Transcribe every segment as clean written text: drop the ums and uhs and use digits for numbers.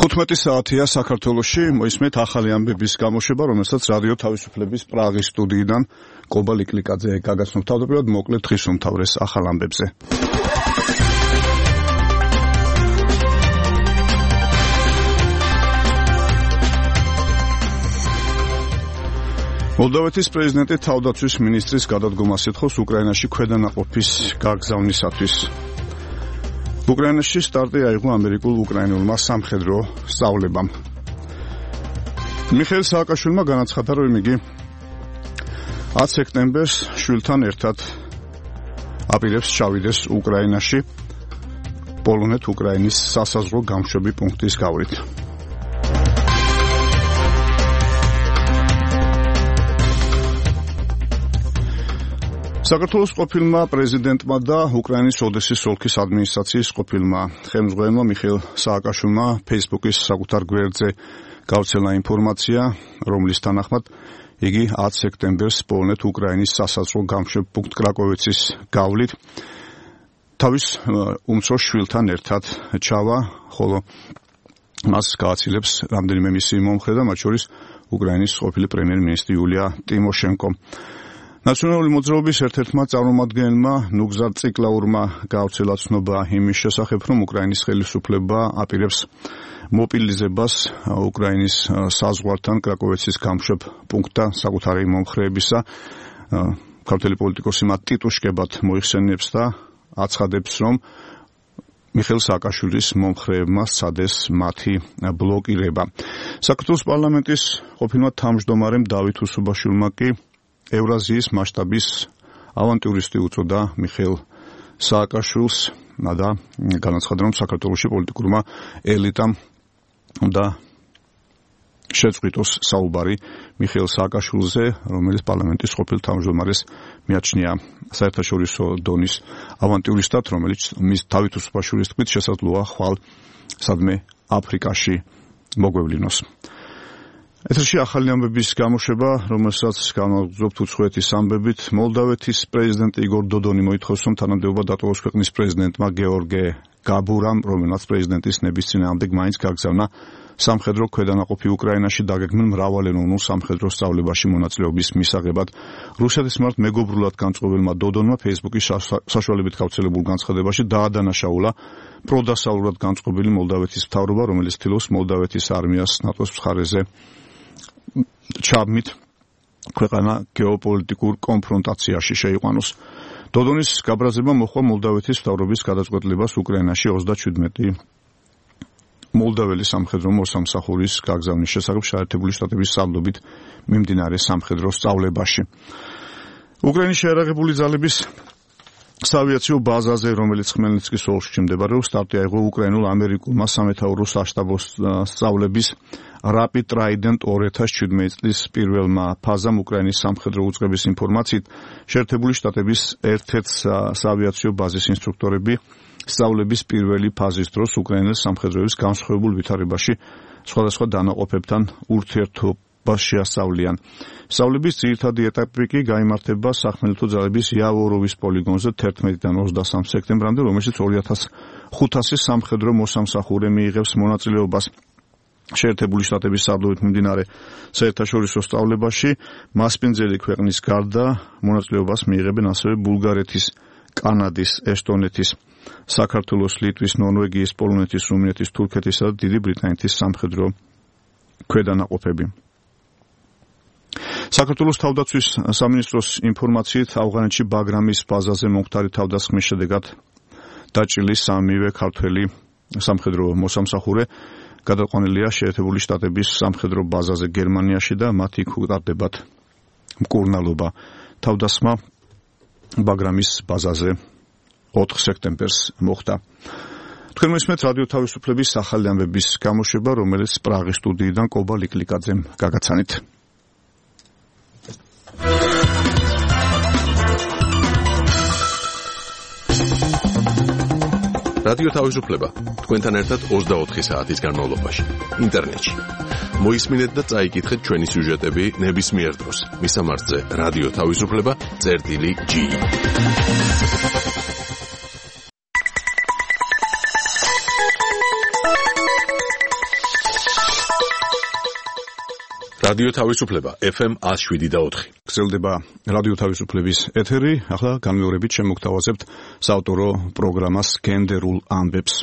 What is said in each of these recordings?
15 საათია საქართველოში, მოისმენთ ახალი ამბების გამოშვება, რომელსაც რადიო თავისუფლების პრაღის სტუდიიდან კობა ლიკლიკაძე გაგაცნობთ. თავდაპირველად მოკლედ დღის უმთავრეს ახალ ამბებზე. მოლდოვეთის პრეზიდენტი თავდაცვის მინისტრის გადადგომას ეთხოვს უკრაინაში ქვედანაყოფის გაგზავნისათვის. უკრაინაში სტარტი აიღო ამერიკულ-უკრაინულმა სამხედრო სწავლებამ. მიხეილ სააკაშვილმა განაცხადა, რომ იგი 10 სექტემბერს შვილთან ერთად აპირებს ჩავიდეს უკრაინაში პოლონეთ-უკრაინის სასაზღვრო გამშვები პუნქტის გავლით. საქართველოს ყოფილმა პრეზიდენტმა და უკრაინის ოდესის ოლქის ადმინისტრაციის ყოფილმა ხელმძღვანელმა მიხეილ სააკაშვილმა Facebook-ის საკუთარ გვერდზე გავრცელა ინფორმაცია, რომლის თანახმად იგი 10 სექტემბერს პოლონეთ-უკრაინის სასაზღვრო გამშვებ პუნქტ კრაკოვიცის გავლით თავის უმცროს შვილთან ერთად ჩავა, ხოლო მას გააცილებს რამდენიმე მისი მომხრე და მათ შორის უკრაინის ყოფილი პრემიერ-მინისტრი იულია ტიმოშენკო. ნაციონალური მოძრაობის ერთ-ერთმა წარმომადგენელმა ნუგზარ ციკლაურმა გავრცელა ცნობა იმის შესახებ, რომ უკრაინის ხელისუფლება აპირებს მობილიზებას უკრაინის საზღვართან კრაკოვიცის გამშვებ პუნქტთან საკუთარი მომხრეებისა. ქართველი პოლიტიკოსი მათ ტიტუშკებად მოიხსენიებს და აცხადებს, რომ მიხეილ სააკაშვილის მომხრეებმა სცადეს მათი ბლოკირება. საქართველოს პარლამენტის ყოფილმა თავმჯდომარემ დავით უსუბაშვილმა კი ევრაზიის მასშტაბის ავანტიურისტი უწოდა მიხეილ სააკაშვილს და განაცხადა, რომ საქართველოში პოლიტიკურმა ელიტამ უნდა შეწყვიტოს საუბარი მიხეილ სააკაშვილზე, რომელიც პარლამენტის ყოფილ თავმჯდომარეს მიაჩნია საერთაშორისო დონის ავანტიურისტად, რომელიც მის დავით უსუბაშვილის თქმით შესაძლოა ხვალ სადმე აფრიკაში მოგვევლინოს. ეთერში ახალი ამბების გამოშვება, რომელსაც განვაგრძობთ უცხოეთის ამბებით. მოლდოვეთის პრეზიდენტი იგორ დოდონი მოითხოვს, რომ თანამდებობა დატოვოს ქვეყნის პრეზიდენტმა გეორგე გაბურამ, რომელმაც პრეზიდენტის ნების წინააღმდეგ მაინც გაგზავნა სამხედრო ქვედანაყოფი უკრაინაში დაგეგმილ მრავალენოვნულ სამხედრო სწავლებაში მონაწილეობის მისაღებად. რუსეთის მიმართ მეგობრულად განწყობილმა დოდონმა Facebook-ის საშუალებით გავრცელებულ განცხადებაში დაადანაშაულა პროდასავლურად განწყობილი მოლდოვეთის მთავრობა, რომელიც ცდილობს მოლდოვეთის არმიას ნატოს მხარეზე ჩაბმით ქვეყანა გეოპოლიტიკურ კონფრონტაციაში შეიყვანოს. დოდონის გაბრაზება მოჰყვა მოლდოვეთის მთავრობის გადაწყვეტილებას უკრაინაში 37 მოლდოველი სამხედრო მოსამსახურის გაგზავნის შესახებ შეერთებული შტატების სამდობით მიმდინარე სამხედრო სწავლებაში. უკრაინის შეიარაღებული ძალების საავიაციო ბაზაზე, რომელიც ხმელნიცკის ოლქში მდებარეობს, სტარტი აიღო უკრაინულ-ამერიკულმა სამეთაურო საშტაბო სწავლების Rapid Trident 2017 წლის პირველმა ფაზამ უკრაინის სამხედრო უწყების ინფორმაციით შეერთებული შტატების ერთ-ერთ საავიაციო ბაზის ინსტრუქტორები სწავლების პირველი ფაზის დროს უკრაინის სამხედროების განსხვავებულ ვითარებაში სხვადასხვა დანაყოფებთან ურთიერთობას შეასწავლიან. სწავლების ძირითადი ეტაპი კი გაიმართება სახმელეთო ძალების იავოროვის პოლიგონზე 11-დან 23 სექტემბრამდე, რომელშიც 2500 სამხედრო მოსამსახურე მიიღებს მონაწილეობას. შეერთებული შტატების სარდლობით მიმდინარე საერთაშორისო სწავლებაში მასპინძელი ქვეყნის გარდა მონაწილეობას მიიღებენ ასევე ბულგარეთის, კანადის, ესტონეთის, საქართველოს, ლიტვის, ნორვეგიის, პოლონეთის, რუმინეთის, თურქეთისა და დიდი ბრიტანეთის სამხედრო ქვედანაყოფები. საქართველოს თავდაცვის სამინისტროს ინფორმაციით ავღანეთში ბაგრამის ბაზაზე მომხდარი თავდასხმის შედეგად დაჭრილი სამივე ქართველი სამხედრო მოსამსახურე გადაყვანილია შეერთებული შტატების სამხედრო ბაზაზე გერმანიაში და მათ იქ უკრდებათ მკურნალობა. თავდასხმა ბაგრამის ბაზაზე 4 სექტემბერს მოხდა. თქვენ მოსმენთ რადიო თავისუფლების ახალი ამბების გამოშვება, რომელიც პრაღის სტუდიიდან კობა ლიკლიკაძემ გაგაცანით. რადიო თავისუფლება თქვენთან ერთად 24 საათის განმავლობაში ინტერნეტში. მოისმინეთ და წაიკითხეთ ჩვენი სიუჟეტები ნებისმიერ დროს. მისამართზე რადიო თავისუფლება.g. რადიო თავისუფლება FM 107.4. გრძელდება რადიო თავისუფლების ეთერი. ახლა განმეორებით შემოგთავაზებთ საავტორო პროგრამას გენდერულ ამბებს.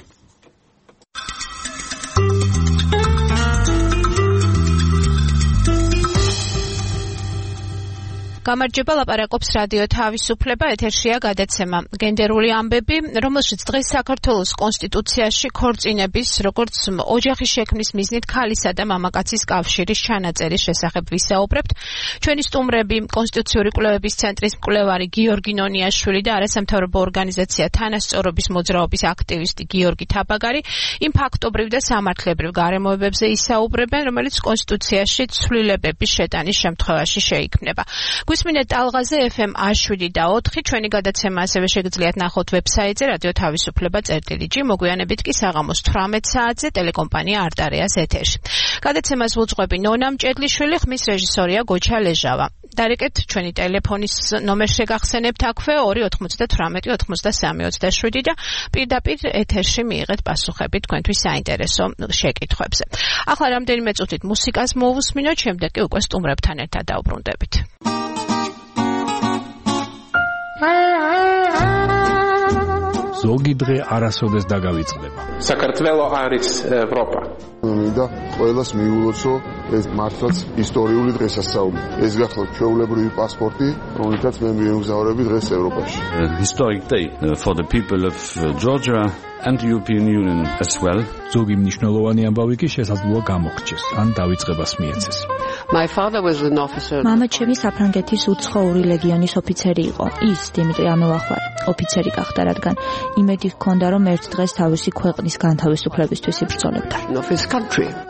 გამარჯობა, ლაპარაკობს რადიო თავისუფლება, ეთერშია გადაცემა გენდერული ამბები, რომელშიც დღეს საქართველოს კონსტიტუციაში ქორწინების, როგორც ოჯახის შექმნის მიზნით ქალისა და მამაკაცის კავშირის ჩანაწერის შესახებ ვისაუბრებთ. ჩვენი სტუმრები კონსტიტუციური კვლევების ცენტრის მკვლევარი გიორგი ნონიაშვილი და არასამთავრობო ორგანიზაცია თანასწორობის მოძრაობის აქტივისტი გიორგი თაბაგარი იმ ფაქტობრივ და სამართლებრივ გარემოებებზე ისაუბრებენ, რომელიც კონსტიტუციაში ცვლილებების შეტანის შემთხვევაში შეიქმნება. გვისმინეთ ტალღაზე FM 107.4, ჩვენი გადაცემა ასევე შეგიძლიათ ნახოთ ვებსაიტზე radiotavisupleba.gt, მოგვიანებით კი საღამოს 18 საათზე ტელეკომპანია არტარეას ეთერში. გადაცემას ვუძღვები ნონა მჭედლიშვილი, ხმის რეჟისორია გოჩა ლეჟავა. დარეკეთ ჩვენი ტელეფონის ნომერს შეგახსენებთ აქვე 298 93 27 და პირდაპირ ეთერში მიიღეთ პასუხები თქვენთვის საინტერესო შეკითხვებზე. ახლა რამდენიმე წუთით მუსიკას მოვუსმინოთ, შემდეგ კი უკვე სტუმრებთან ერთად დავბრუნდებით. ზოგი დღე არასოდეს დაგავიწყდება. საქართველო არის ევროპა. მინდა ყველას მიულოცო ეს მართლაც ისტორიული დღესასწაული. ეს გახლავთ ჩვეულებრივი პასპორტი, რომელთაც მე მიემგზავრები დღეს ევროპაში. Historic day for the people of Georgia and the European Union as well. ზოგი მნიშვნელოვანი ამბავი კი შესაძლოა გამოგრჩეს, ან დავიწყებას მიეცეს. My father was an officer. მამაჩემი საფრანგეთის უცხოური ლეგიონის ოფიცერი იყო. ის დიმიტრი ამელახვარი ოფიცერი გახდა, რადგან იმედი ჰქონდა, რომ ერთ დღეს თავისი ქვეყნის განთავისუფლებისთვის იბრძოლებდა.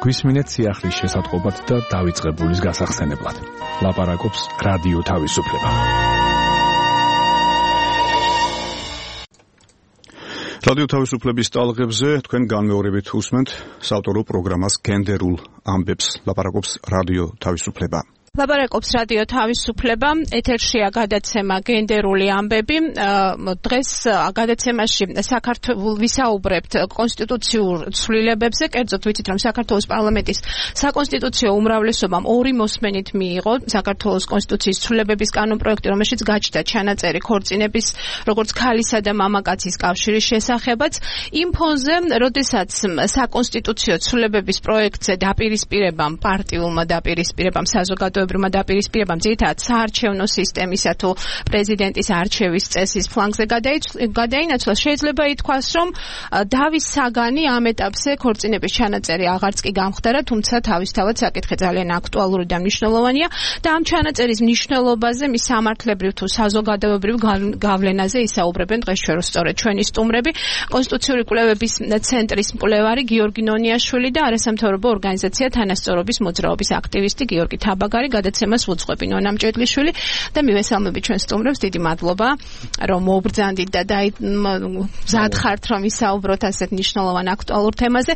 გვისმინეთ სიახლის შესატყობად და დავიწყებულის გასახსენებლად. ლაპარაკობს რადიო თავისუფლება. რადიო თავისუფლების ტალღებზე თქვენ განმეორებით უსმენთ საავტორო პროგრამას გენდერულ ამბებს. ლაპარაკობს რადიო თავისუფლება. ლაპარაკობს რადიო თავისუფლება, ეთერშია გადაცემა გენდერული ამბები. დღეს გადაცემაში საქართველოს ვისაუბრებთ კონსტიტუციურ ცვლილებებზე, კერძოდ ვიცით, რომ საქართველოს პარლამენტის საკონსტიტუციო უმრავლესობამ 2 მოსმენით მიიღო საქართველოს კონსტიტუციის ცვლილებების კანონპროექტი, რომელშიც გაჩნდა ჩანაწერი ქორწინების, როგორც ქალისა და მამაკაცის კავშირის შესახებაც. იმ ფონზე, როდესაც საკონსტიტუციო ცვლილებების პროექტზე დაპირისპირებამ, პარტიულმა დაპირისპირებამ, საზოგადოებრივმა დაპირისპირებამ ძირითადად საარჩევნო სისტემისა თუ პრეზიდენტის არჩევის წესის ფლანგზე გადაინაცვლა, შეიძლება ითქვას, რომ დავის საგანი ამ ეტაპზე ქორწინების ჩანაწერი აღარც კი გამხდარა, თუმცა თავისთავად საკითხი ძალიან აქტუალური და მნიშვნელოვანია და ამ ჩანაწერის მნიშვნელობაზე, მის სამართლებრივ თუ საზოგადოებრივ გავლენაზე ისაუბრებენ დღეს სწორედ ჩვენი სტუმრები, კონსტიტუციური კვლევების ცენტრის მკვლევარი გიორგი ნონიაშვილი და არასამთავრობო ორგანიზაცია თანასწორობის მოძრაობის აქტივისტი გიორგი თაბაგარი. გადაცემას ვუძღვები ნონა მჭედლიშვილი და მივესალმებით ჩვენ სტუმრებს. დიდი მადლობა, რომ მობრძანდით და მზადხართ, რომ ისაუბროთ ასეთ მნიშვნელოვან აქტუალურ თემაზე.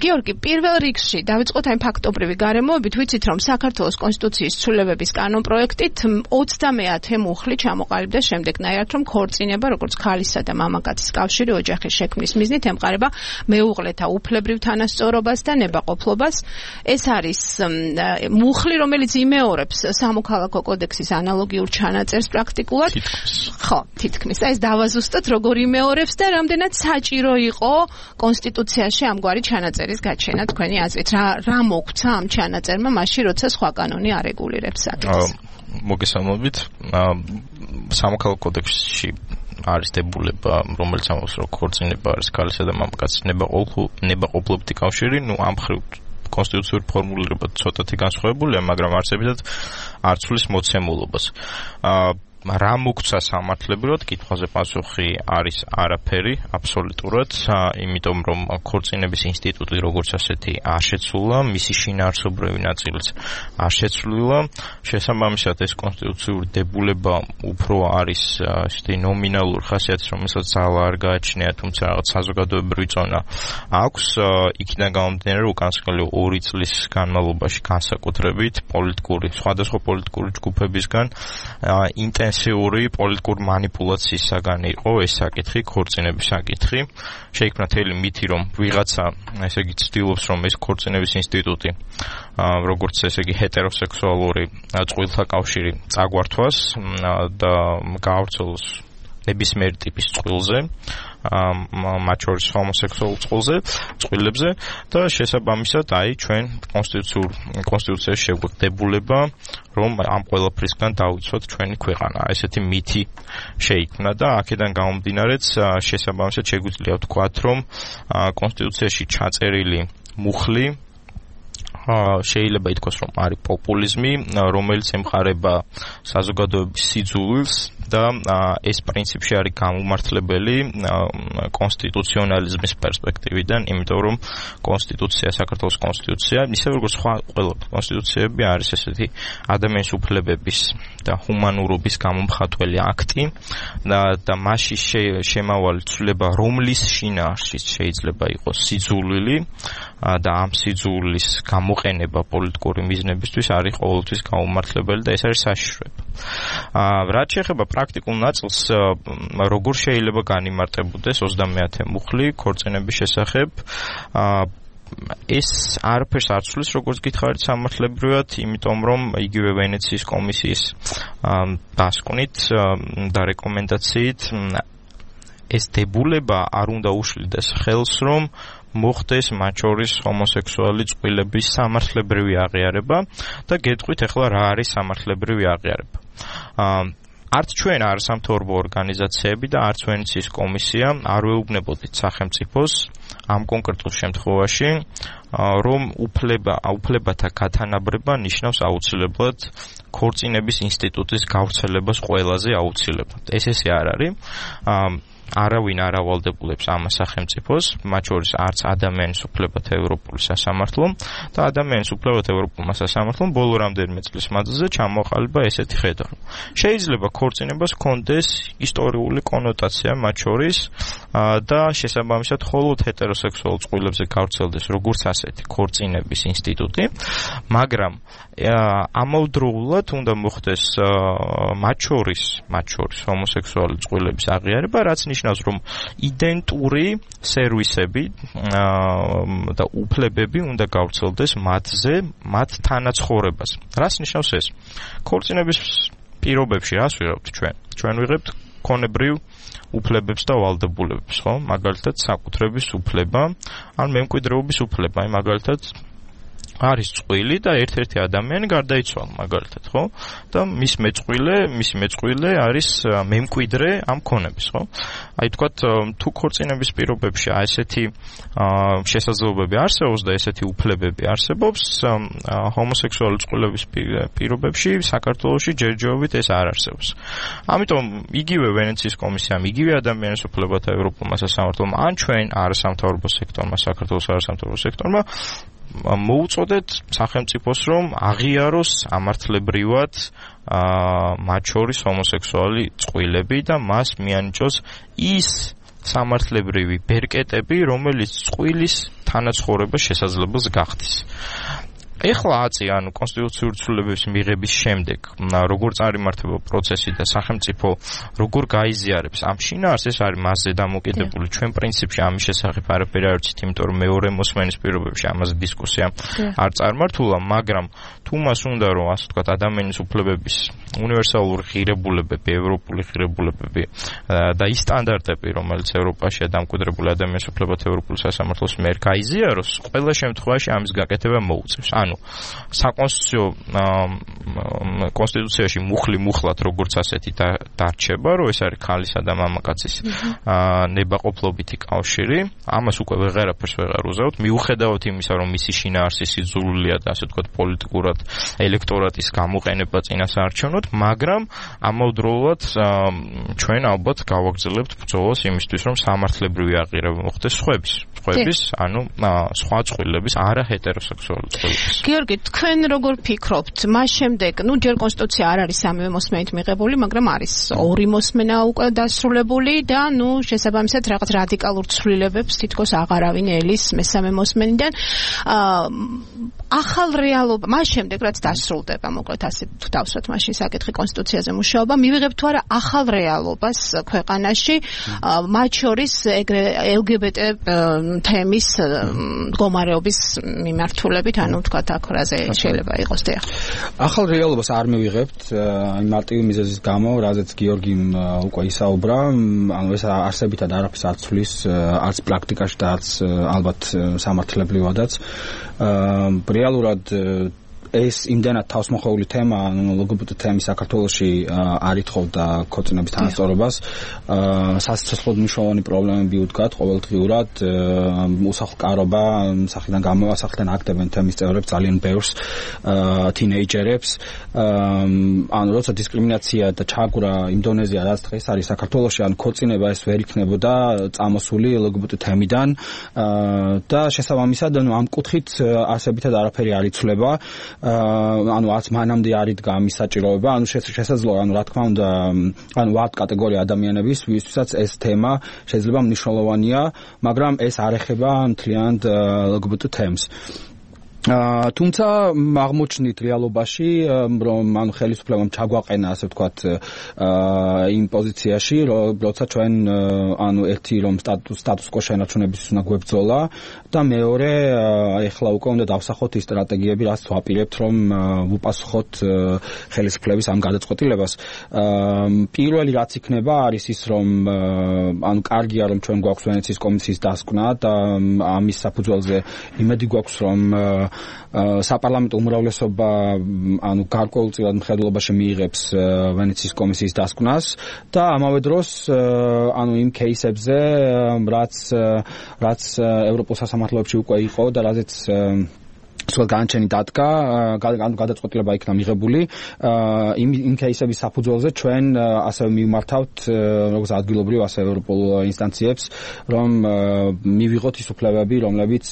გიორგი, პირველ რიგში დავიწყოთ აი ფაქტობრივი გარემოებით. ვიცით, რომ საქართველოს კონსტიტუციის ცვლილებების კანონპროექტით 30-ე მუხლი ჩამოყალიბდა შემდეგნაირად, რომ ქორწინება, როგორც ქალისა და მამაკაცის კავშირი ოჯახის შექმნის მიზნით ემყარება მეუღლეთა უფლებრივ თანასწორობას და ნებაყოფლობას. ეს არის მუხლი, რომელიც იმეორებს სამოქალაქო კოდექსის ანალოგიურ ჩანაწერს პრაქტიკულად. ხო, თითქმის. ეს დავაზუსტოთ, როგორ იმეორებს და რამდენად საჭირო იყო კონსტიტუციაში ამგვარი ჩანაწერის გაჩენა თქვენი აზრით. რა მოგვცა ამ ჩანაწერმა მაშინ, როცა სხვა კანონი არეგულირებს საკითხს? მოგესალმებით. სამოქალაქო კოდექსში არის დებულება, რომელიც ამბობს, რომ ქორწინება არის ქალისა და მამაკაცის ნებაყოფლობითი კავშირი, ამ ხრივ კონსტიტუციური ფორმულირება ცოტათი განსხვავებულია, მაგრამ არსებითად არ ცვლის მოცემულობას. რა მოგვცა სამართლებრივად, კითხვაზე პასუხი არის არაფერი, აბსოლუტურად, იმიტომ რომ ქორწინების ინსტიტუტი როგორც ასეთი არ შეცვლა, მისი შინაარსობრივი ნაწილიც არ შეცვლილა. შესაბამისად, ეს კონსტიტუციური დებულება უფრო არის ისეთი ნომინალური ხასიათის, რომელსაც ძალა არ გააჩნია, თუმცა რაღაც საზოგადოებრივი წონა აქვს. იქიდან გამომდინარე, რომ უკანასკნელი 2 წლის განმავლობაში განსაკუთრებით სხვადასხვა პოლიტიკური ჯგუფებისგან ინტენსიური პოლიტიკური манипуляციის საგანი იყო ეს საკითხი, ქორწინების საკითხი. შეიქმნა თელი მითი, რომ ვიღაცა, ესე იგი, ცდილობს, რომ ეს ქორწინების ინსტიტუტი, როგორც ესე იგი, ჰეტეროსექსუალური წყვილთა კავშირი წაგვართვას და გაავრცელოს ნებისმიერ ტიპის წყვილზე, მათ შორის ჰომოსექსუალურ წყვილებზე და შესაბამისად ჩვენ კონსტიტუციაში შეგვედებულება, რომ ამ ყველაფრისგან დავიცვათ ჩვენი ქვეყანა. ესეთი მითი შეიქმნა და აქედან გამომდინარეც შესაბამისად შეგვიძლია ვთქვათ, რომ კონსტიტუციაში ჩაწერილი მუხლი შეიძლება ითქვას, რომ არის პოპულიზმი, რომელიც ემყარება საზოგადოების სიძულვილს და ეს პრინციპში არის გამომართლებელი კონსტიტუციონალიზმის პერსპექტივიდან, იმიტომ რომ კონსტიტუცია, საქართველოს კონსტიტუცია, ისე როგორც სხვა ყველა კონსტიტუციები არის ესეთი ადამიანის უფლებების და ჰუმანურობის გამომხატველი აქტი და მასში შემავალი ცვლილება, რომლის შინაარსშიც შეიძლება იყოს სიძულვილი და ამ სიძულვილის გამოყენება პოლიტიკური მიზნებისთვის არის ყოველთვის გამომართლებელი და ეს არის საშიშროება. რაც შეეხება პრაქტიკულ ნაწილს, როგორ შეიძლება განიმარტებოდეს 30-ე მუხლი ქორწინების შესახებ, ეს არაფერს არ ცვლის, როგორც გითხარით სამართლებრივად, იმიტომ რომ იგივე ვენეციის კომისიის დასკვნით და რეკომენდაციით ეს დებულება არ უნდა უშლიდეს ხელს, რომ მოხდეს მათ შორის ჰომოსექსუალი წყვილების სამართლებრივი აღიარება და გეტყვით ახლა რა არის სამართლებრივი აღიარება. არც ჩვენ არასამთავრობო ორგანიზაციები და არც ვენეციის კომისია არ ვეუბნებოდით სახელმწიფოს ამ კონკრეტულ შემთხვევაში, რომ უფლებათა გათანაბრება ნიშნავს აუცილებლად ქორწინების ინსტიტუტის გავრცელებას ყველაზე აუცილებლად. ესე არ არის. არავინ არ ავალდებულებს ამას სახელმწიფოს, მათ შორის არც ადამიანის უფლებათა ევროპული სასამართლო და ადამიანის უფლებათა ევროპულმა სასამართლომ ბოლო რამდენიმე წლის მანძილზე ჩამოყალიბა ესეთი ხედვა. შეიძლება ქორწინებას ჰქონდეს ისტორიული კონოტაცია მათ შორის და შესაბამისად მხოლოდ ჰეტეროსექსუალ წყვილებზე გავრცელდეს როგორც ასეთი ქორწინების ინსტიტუტი, მაგრამ ამავდროულად უნდა მოხდეს მათ შორის ჰომოსექსუალი წყვილების აღიარება, რაც ნიშნავს, რომ იდენტური სერვისები და უფლებები უნდა გავრცელდეს მათზე, მათ თანაცხოვრებას. რას ნიშნავს ეს? ქორწინების პირობებში რას ვიღებთ ჩვენ? ჩვენ ვიღებთ ქონებრივ უფლებებს და ვალდებულებებს, ხო? მაგალითად, საკუთრების უფლება, ან მემკვიდრეობის უფლება, მაგალითად არის წყვილი და ერთ-ერთი ადამიანი გარდაიცვალა, მაგალითად, ხო? და მისი მეწყვილე არის მემკვიდრე ამ ქონების, ხო? აი თქვათ, თუ ქორწინების პირობებში ესეთი შესაძლებლობები არსებობს და ესეთი უფლებები არსებობს, ჰომოსექსუალი წყვილების პირობებში საქართველოში ჯერჯერობით ეს არ არსებობს. ამიტომ იგივე ვენეციის კომისიამ, იგივე ადამიანის უფლებათა ევროპულმა სასამართლომ, ან ჩვენ არასამთავრობო სექტორმა, საქართველოს არასამთავრობო სექტორმა მოუწოდეთ სახელმწიფოს, რომ აღიაროს სამართლებრივად მათ შორის ჰომოსექსუალი წყვილები და მას მიანიჭოს ის სამართლებრივი ბერკეტები, რომელიც წყვილის თანაცხოვრებას შესაძლებელს გახდის. ეხლა ანუ კონსტიტუციური ცვლილებების მიღების შემდეგ, როგორ წარიმართება პროცესი და სახელმწიფო როგორ გაიზიარებს ამ შინაარსს, ეს არის მასზე დამოკიდებული. ჩვენ პრინციპში ამის შესახებ არაფერი არ ვიცით, იმიტომ რომ მეორე მოსმენის პირობებში ამაზე დისკუსია არ წარმართულა, მაგრამ თუ მას უნდა რომ ასე ვთქვათ ადამიანის უფლებების უნივერსალური ღირებულებები, ევროპული ღირებულებები და ის სტანდარტები, რომელიც ევროპაშია დამკვიდრებული ადამიანის უფლებათა ევროპული სასამართლოს მიერ გაიზიაროს, ყველა შემთხვევაში ამის გაკეთება მოუწევს. კონსტიტუციაში მუხლად როგორც ასეთი დარჩება, რომ ეს არის ქალისა და მამაკაცის ნებაყოფლობითი კავშირი, ამას უკვე ვეღარაფერს ვეღარ უზავთ, მიუხედავად იმისა, რომ მისი შინაარსი სიძულვილია და ასე ვთქვათ პოლიტიკურად ელექტორატის გამოყენება წინასაარჩევნოდ, მაგრამ ამავდროულად ჩვენ ალბათ გავაგრძელებთ ბრძოლას იმისთვის, რომ სამართლებრივი აღიარება მოხდეს სხვა წყვილების, არა ჰეტეროსექსუალური წყვილების. გიორგი, თქვენ როგორ ფიქრობთ? მას შემდეგ, ჯერ კონსტიტუცია არ არის სამივე მოსმენით მიღებული, მაგრამ არის ორი მოსმენა უკვე დასრულებული და შესაბამისად რაღაც რადიკალურ ცვლილებებს თითქოს აღარავინ ელის მესამე მოსმენიდან. ახალ რეალობა, მას შემდეგ რაც დასრულდება, მოკლედ ასე დავსვათ მაშინ საკითხი კონსტიტუციაზე მუშაობა, მივიღებთ თუ არა ახალ რეალობას ქვეყანაში, მათ შორის ეგრე LGBT თემის მდგომარეობის მიმართულებით, ანუ ვთქვათ, აქ რაზე შეიძლება იყოს დიახ. ახალ რეალობას არ მივიღებთ, აი მარტივი მიზეზის გამო, რაზეც გიორგიმ უკვე ისაუბრა, ანუ ეს არსებითად არაფერს არ ცვლის, არც პრაქტიკაში და არც ალბათ სამართლებრივადაც. რეალურად ეს იმდენად თავსმოხვეული თემა, LGBT თემი საქართველოში არ ითხოვდა ქორწინების თანასწორობას, სასიცოცხლოდ მნიშვნელოვანი პრობლემები უდგათ ყოველდღიურად, უსახლკარობა, სახლიდან გამოვა, სახლიდან აქტებენ თემის წევრებს ძალიან ბევრს, თინეიჯერებს, ანუ როცა დისკრიმინაცია და ჩაგვრა იმდონეზია რაც დღეს არის საქართველოში, ანუ ქორწინება ეს ვერ იქნებოდა წამოსული LGBT თემიდან და შესაბამისად ამ კუთხით არსებითად არაფერი არ იცვლება. ანუ არც მანამდე არ იდგა ამის საჭიროება, ანუ შესაძლოა, ანუ რა თქმა უნდა, ანუ ვართ კატეგორია ადამიანების, ვისთვისაც ეს თემა შეიძლება მნიშვნელოვანია, მაგრამ ეს არ ეხება მთლიანად LGBT თემს. თუმცა აღმოჩნდით რეალობაში, რომ ანუ ხელისუფლებამ ჩაგვაყენა, ასე ვთქვათ, იმ პოზიციაში, როცა ჩვენ ანუ ერთი რომ სტატუს კო შენარჩუნების უნდა გვებრძოლა და მეორე ეხლა უკვე უნდა დავსახოთ ის სტრატეგიები, რაც ვაპირებთ, რომ ვუპასუხოთ ხელისუფლების ამ გადაწყვეტილებას. პირველი რაც იქნება არის ის, რომ ანუ კარგია რომ ჩვენ გვაქვს ვენეციის კომისიის დასკვნა და ამის საფუძველზე იმედი გვაქვს, რომ საპარლამენტო უმრავლესობა ანუ გარკვეულწილად მხედველობაში მიიღებს ვენეციის კომისიის დასკვნას და ამავე დროს ანუ იმ кейსებზე რაც ევროპულ სასამართლოებში უკვე იყო და რაზეც სულ განჩენი დადგა, გადაწყვეტილება იქნა მიღებული, იმ кейსების საფუძველზე ჩვენ ასევე მივმართავთ როგორც ადგილობრივ, ასე ევროპულ ინსტანციებს, რომ მივიღოთ ის უფლებები, რომელიც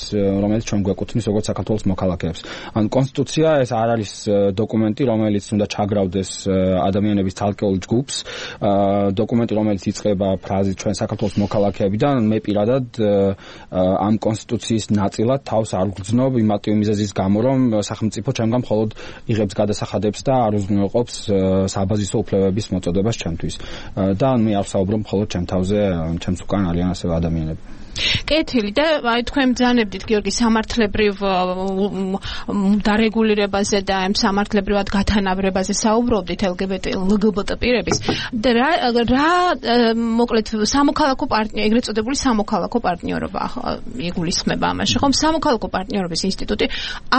ჩვენ გვეკუთვნის როგორც საქართველოს მოქალაქეებს. ანუ კონსტიტუცია ეს არ არის დოკუმენტი, რომელიც უნდა ჩაგრავდეს ადამიანების ცალკეულ ჯგუფს, დოკუმენტი, რომელიც იწყება ფრაზით ჩვენ საქართველოს მოქალაქეებიდან, მე პირადად ამ კონსტიტუციის ნაწილად თავს არ ვგრძნობ იმატივ მიზეზის გამო, რომ სახელმწიფო ჩემგან მხოლოდ იღებს გადასახადებს და არ უზრუნველყოფს საბაზისო უფლებების მოწოდებას ჩემთვის. და მე არ ვსაუბრობ მხოლოდ ჩემ თავზე, ჩემს უკან არიან ასევე ადამიანები. კეთილი და აი თქვენ ბრძანებდით გიორგი სამართლებრივ დარეგულირებაზე და ამ სამართლებრივად გათანაბრებაზე საუბრობდით LGBT პირების და რა მოკლედ სამოქალაქო პარტნიორობა, ეგრეთ წოდებული სამოქალაქო პარტნიორობა იგულისხმება ამაში, ხომ? სამოქალაქო პარტნიორობის ინსტიტუტი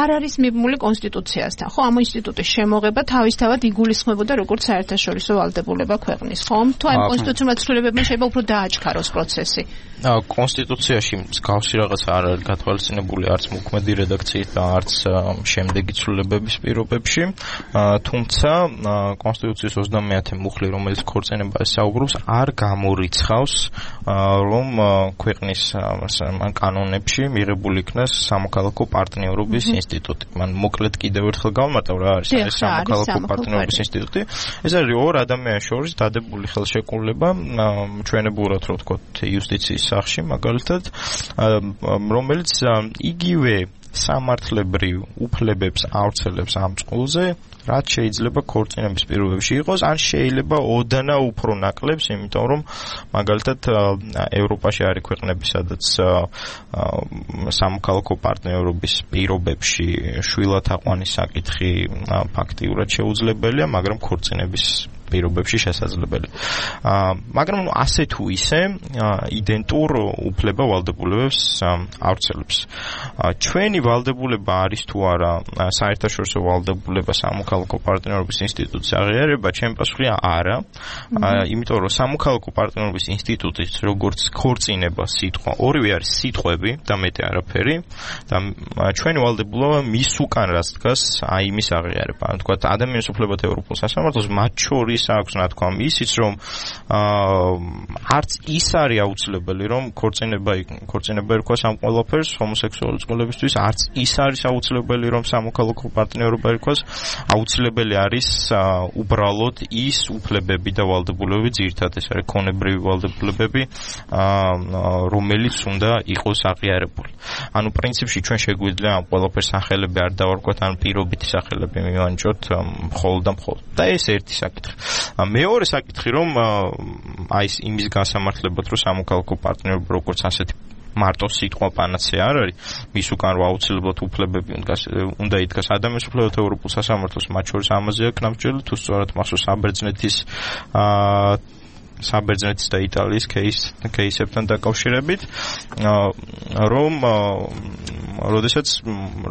არ არის მიბმული კონსტიტუციასთან, ხო? ამ ინსტიტუტის შემოღება თავისთავად იგულისხმებოდა როგორც საერთაშორისო ვალდებულება ქვეყნის, ხომ? თუ ამ კონსტიტუციურ ცვლილებებმა შეიძლება უფრო დააჩქაროს პროცესი. კონსტიტუციაში მსგავსი რაღაც არ არის გათვალისწინებული არც მოქმედი რედაქციით და არც შემდეგი ცვლილებების პირობებში, თუმცა კონსტიტუციის 30-ე მუხლი, რომელიც ქორწინებას საუბრობს, არ გამორიცხავს, რომ ქვეყნის კანონებში მიღებული იქნას სამოქალაქო პარტნიორობის ინსტიტუტი. მან მოკლედ კიდევ ერთხელ გავამარტავ რა არის ეს სამოქალაქო პარტნიორობის ინსტიტუტი. ეს არის ორ ადამიანის შორის დადებული ხელშეკრულება, ჩვენებურად რო ვთქვათ იუსტიციის სახში, მაგალითად, რომელიც იგივე სამართლებრივ უფლებებს ავრცელებს ამ წყულზე, რაც შეიძლება ქორწინების პირობებში იყოს, ან შეიძლება ოდნა უფრო ნაკლებს, იმიტომ რომ მაგალითად ევროპაში არის ქვეყნები, სადაც სამოქალაქო პარტნიორობის პირობებში შვილად აყვანის საკითხი ფაქტიურად შეუძლებელია, მაგრამ ქორწინების პირობებში შესაძლებელია. მაგრამ ასე თუ ისე იდენტურ უფლება ვალდებულებებს ავრცელებს. ჩვენი ვალდებულება არის თუ არა საერთაშორისო ვალდებულება სამოქალაქო პარტნიორობის ინსტიტუტის აღიარება, ჩემი პასუხია არა. იმიტომ რომ სამოქალაქო პარტნიორობის ინსტიტუტის როგორც ქორწინება სიტყვა, ორივე არის სიტყვები და მეტი არაფერი და ჩვენი ვალდებულება მის უკან რაც დგას, აი იმის აღიარება. ანუ თქვა ადამიანის უფლებათა ევროპულ სასამართლოს მათ შორის ის აქვს რა თქვა ისიც რომ არც ის არის აუცილებელი რომ ქორწინება ერქვას ამ ყველაფერს ჰომოსექსუალური წყვილებისთვის არც ის არის აუცილებელი რომ სამოქალაქო პარტნიორობა ერქვას აუცილებელი არის უბრალოდ ის უფლებები და ვალდებულებები ძირითადად ეს არის ქონებრივი ვალდებულებები რომელიც უნდა იყოს აღიარებული ანუ პრინციპში ჩვენ შეგვიძლია ამ ყველაფერს სახელები არ დავარქვათ ან პირობითი სახელები მივანიჭოთ მხოლოდ და მხოლოდ და ეს ერთი საკითხი მეორე საკითხი რომ აი იმის გასამართლებად რომ სამოქალაქო პარტნიორობა როგორც ასეთი მარტო სიტყვა პანაცეა არ არის მის უკან რა აუცილებლად უფლებები უნდა იდგას ადამიანის უფლებათა ევროპულ სასამართლოს მათ შორის ამაზეა კნაბჭელი თუ სწორად მახსოვს საბერძნეთის და იტალიის кейსებთან დაკავშირებით რომ როდესაც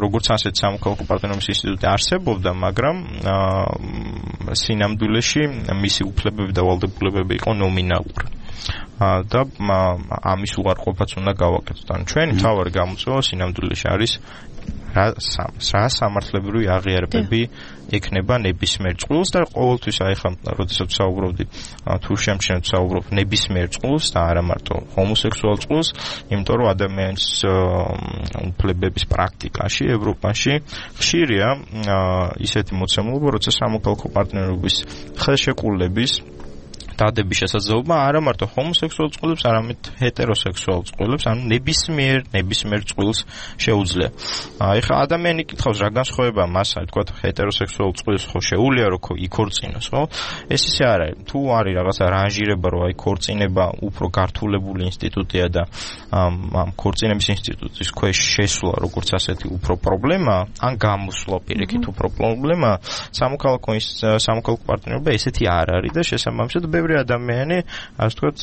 როგორც ასეთ სამოქალაქო პარტნიორობის ინსტიტუტი არსებობდა მაგრამ სინამდვილეში მისი უფლებები და ვალდებულებები იყო ნომინალური და ამის უარყოფაც უნდა გავაკეთოთ ანუ ჩვენი მთავარი გამოწვევა სინამდვილეში არის რა სამართლებრივი აღიარებები ექნება ნებისმიერ წყვილს და ყოველთვის აი ხა როდესაც საუბრობდი თუ შემჩნევთ საუბრობ ნებისმიერ წყვილს და არა მარტო ჰომოსექსუალ წყვილს იმიტომ რომ ადამიანის უფლებების პრაქტიკაში ევროპაში ხშირია ისეთი მოცემულობა როცა სამოქალაქო პარტნიორობის ხელშეკრულების დადების შესაძლებლობა არა მარტო ჰომოსექსუალ წყვილებს, არამედ ჰეტეროსექსუალ წყვილებს, ანუ ნებისმიერ წყვილს შეუძლია. ეხლა ადამიანი კითხავს რა განსხვავება მას, აი თქვა ჰეტეროსექსუალ წყვილს ხო შეუძლია რომ იქორწინოს, ხო? ეს ისე არ არის. თუ არის რაღაცა რანჟირება, რომ აი ქორწინება უფრო გართულებული ინსტიტუტია და ამ ქორწინების ინსტიტუტის ქვეშ შესვლა როგორც ასეთი უფრო პრობლემა, ან გამოსვლა პირიქით უფრო პრობლემა, სამოქალაქო პარტნიორობა ესეთი არ არის და შესაბამისად ბევრი ადამიანი, ასე ვთქვათ,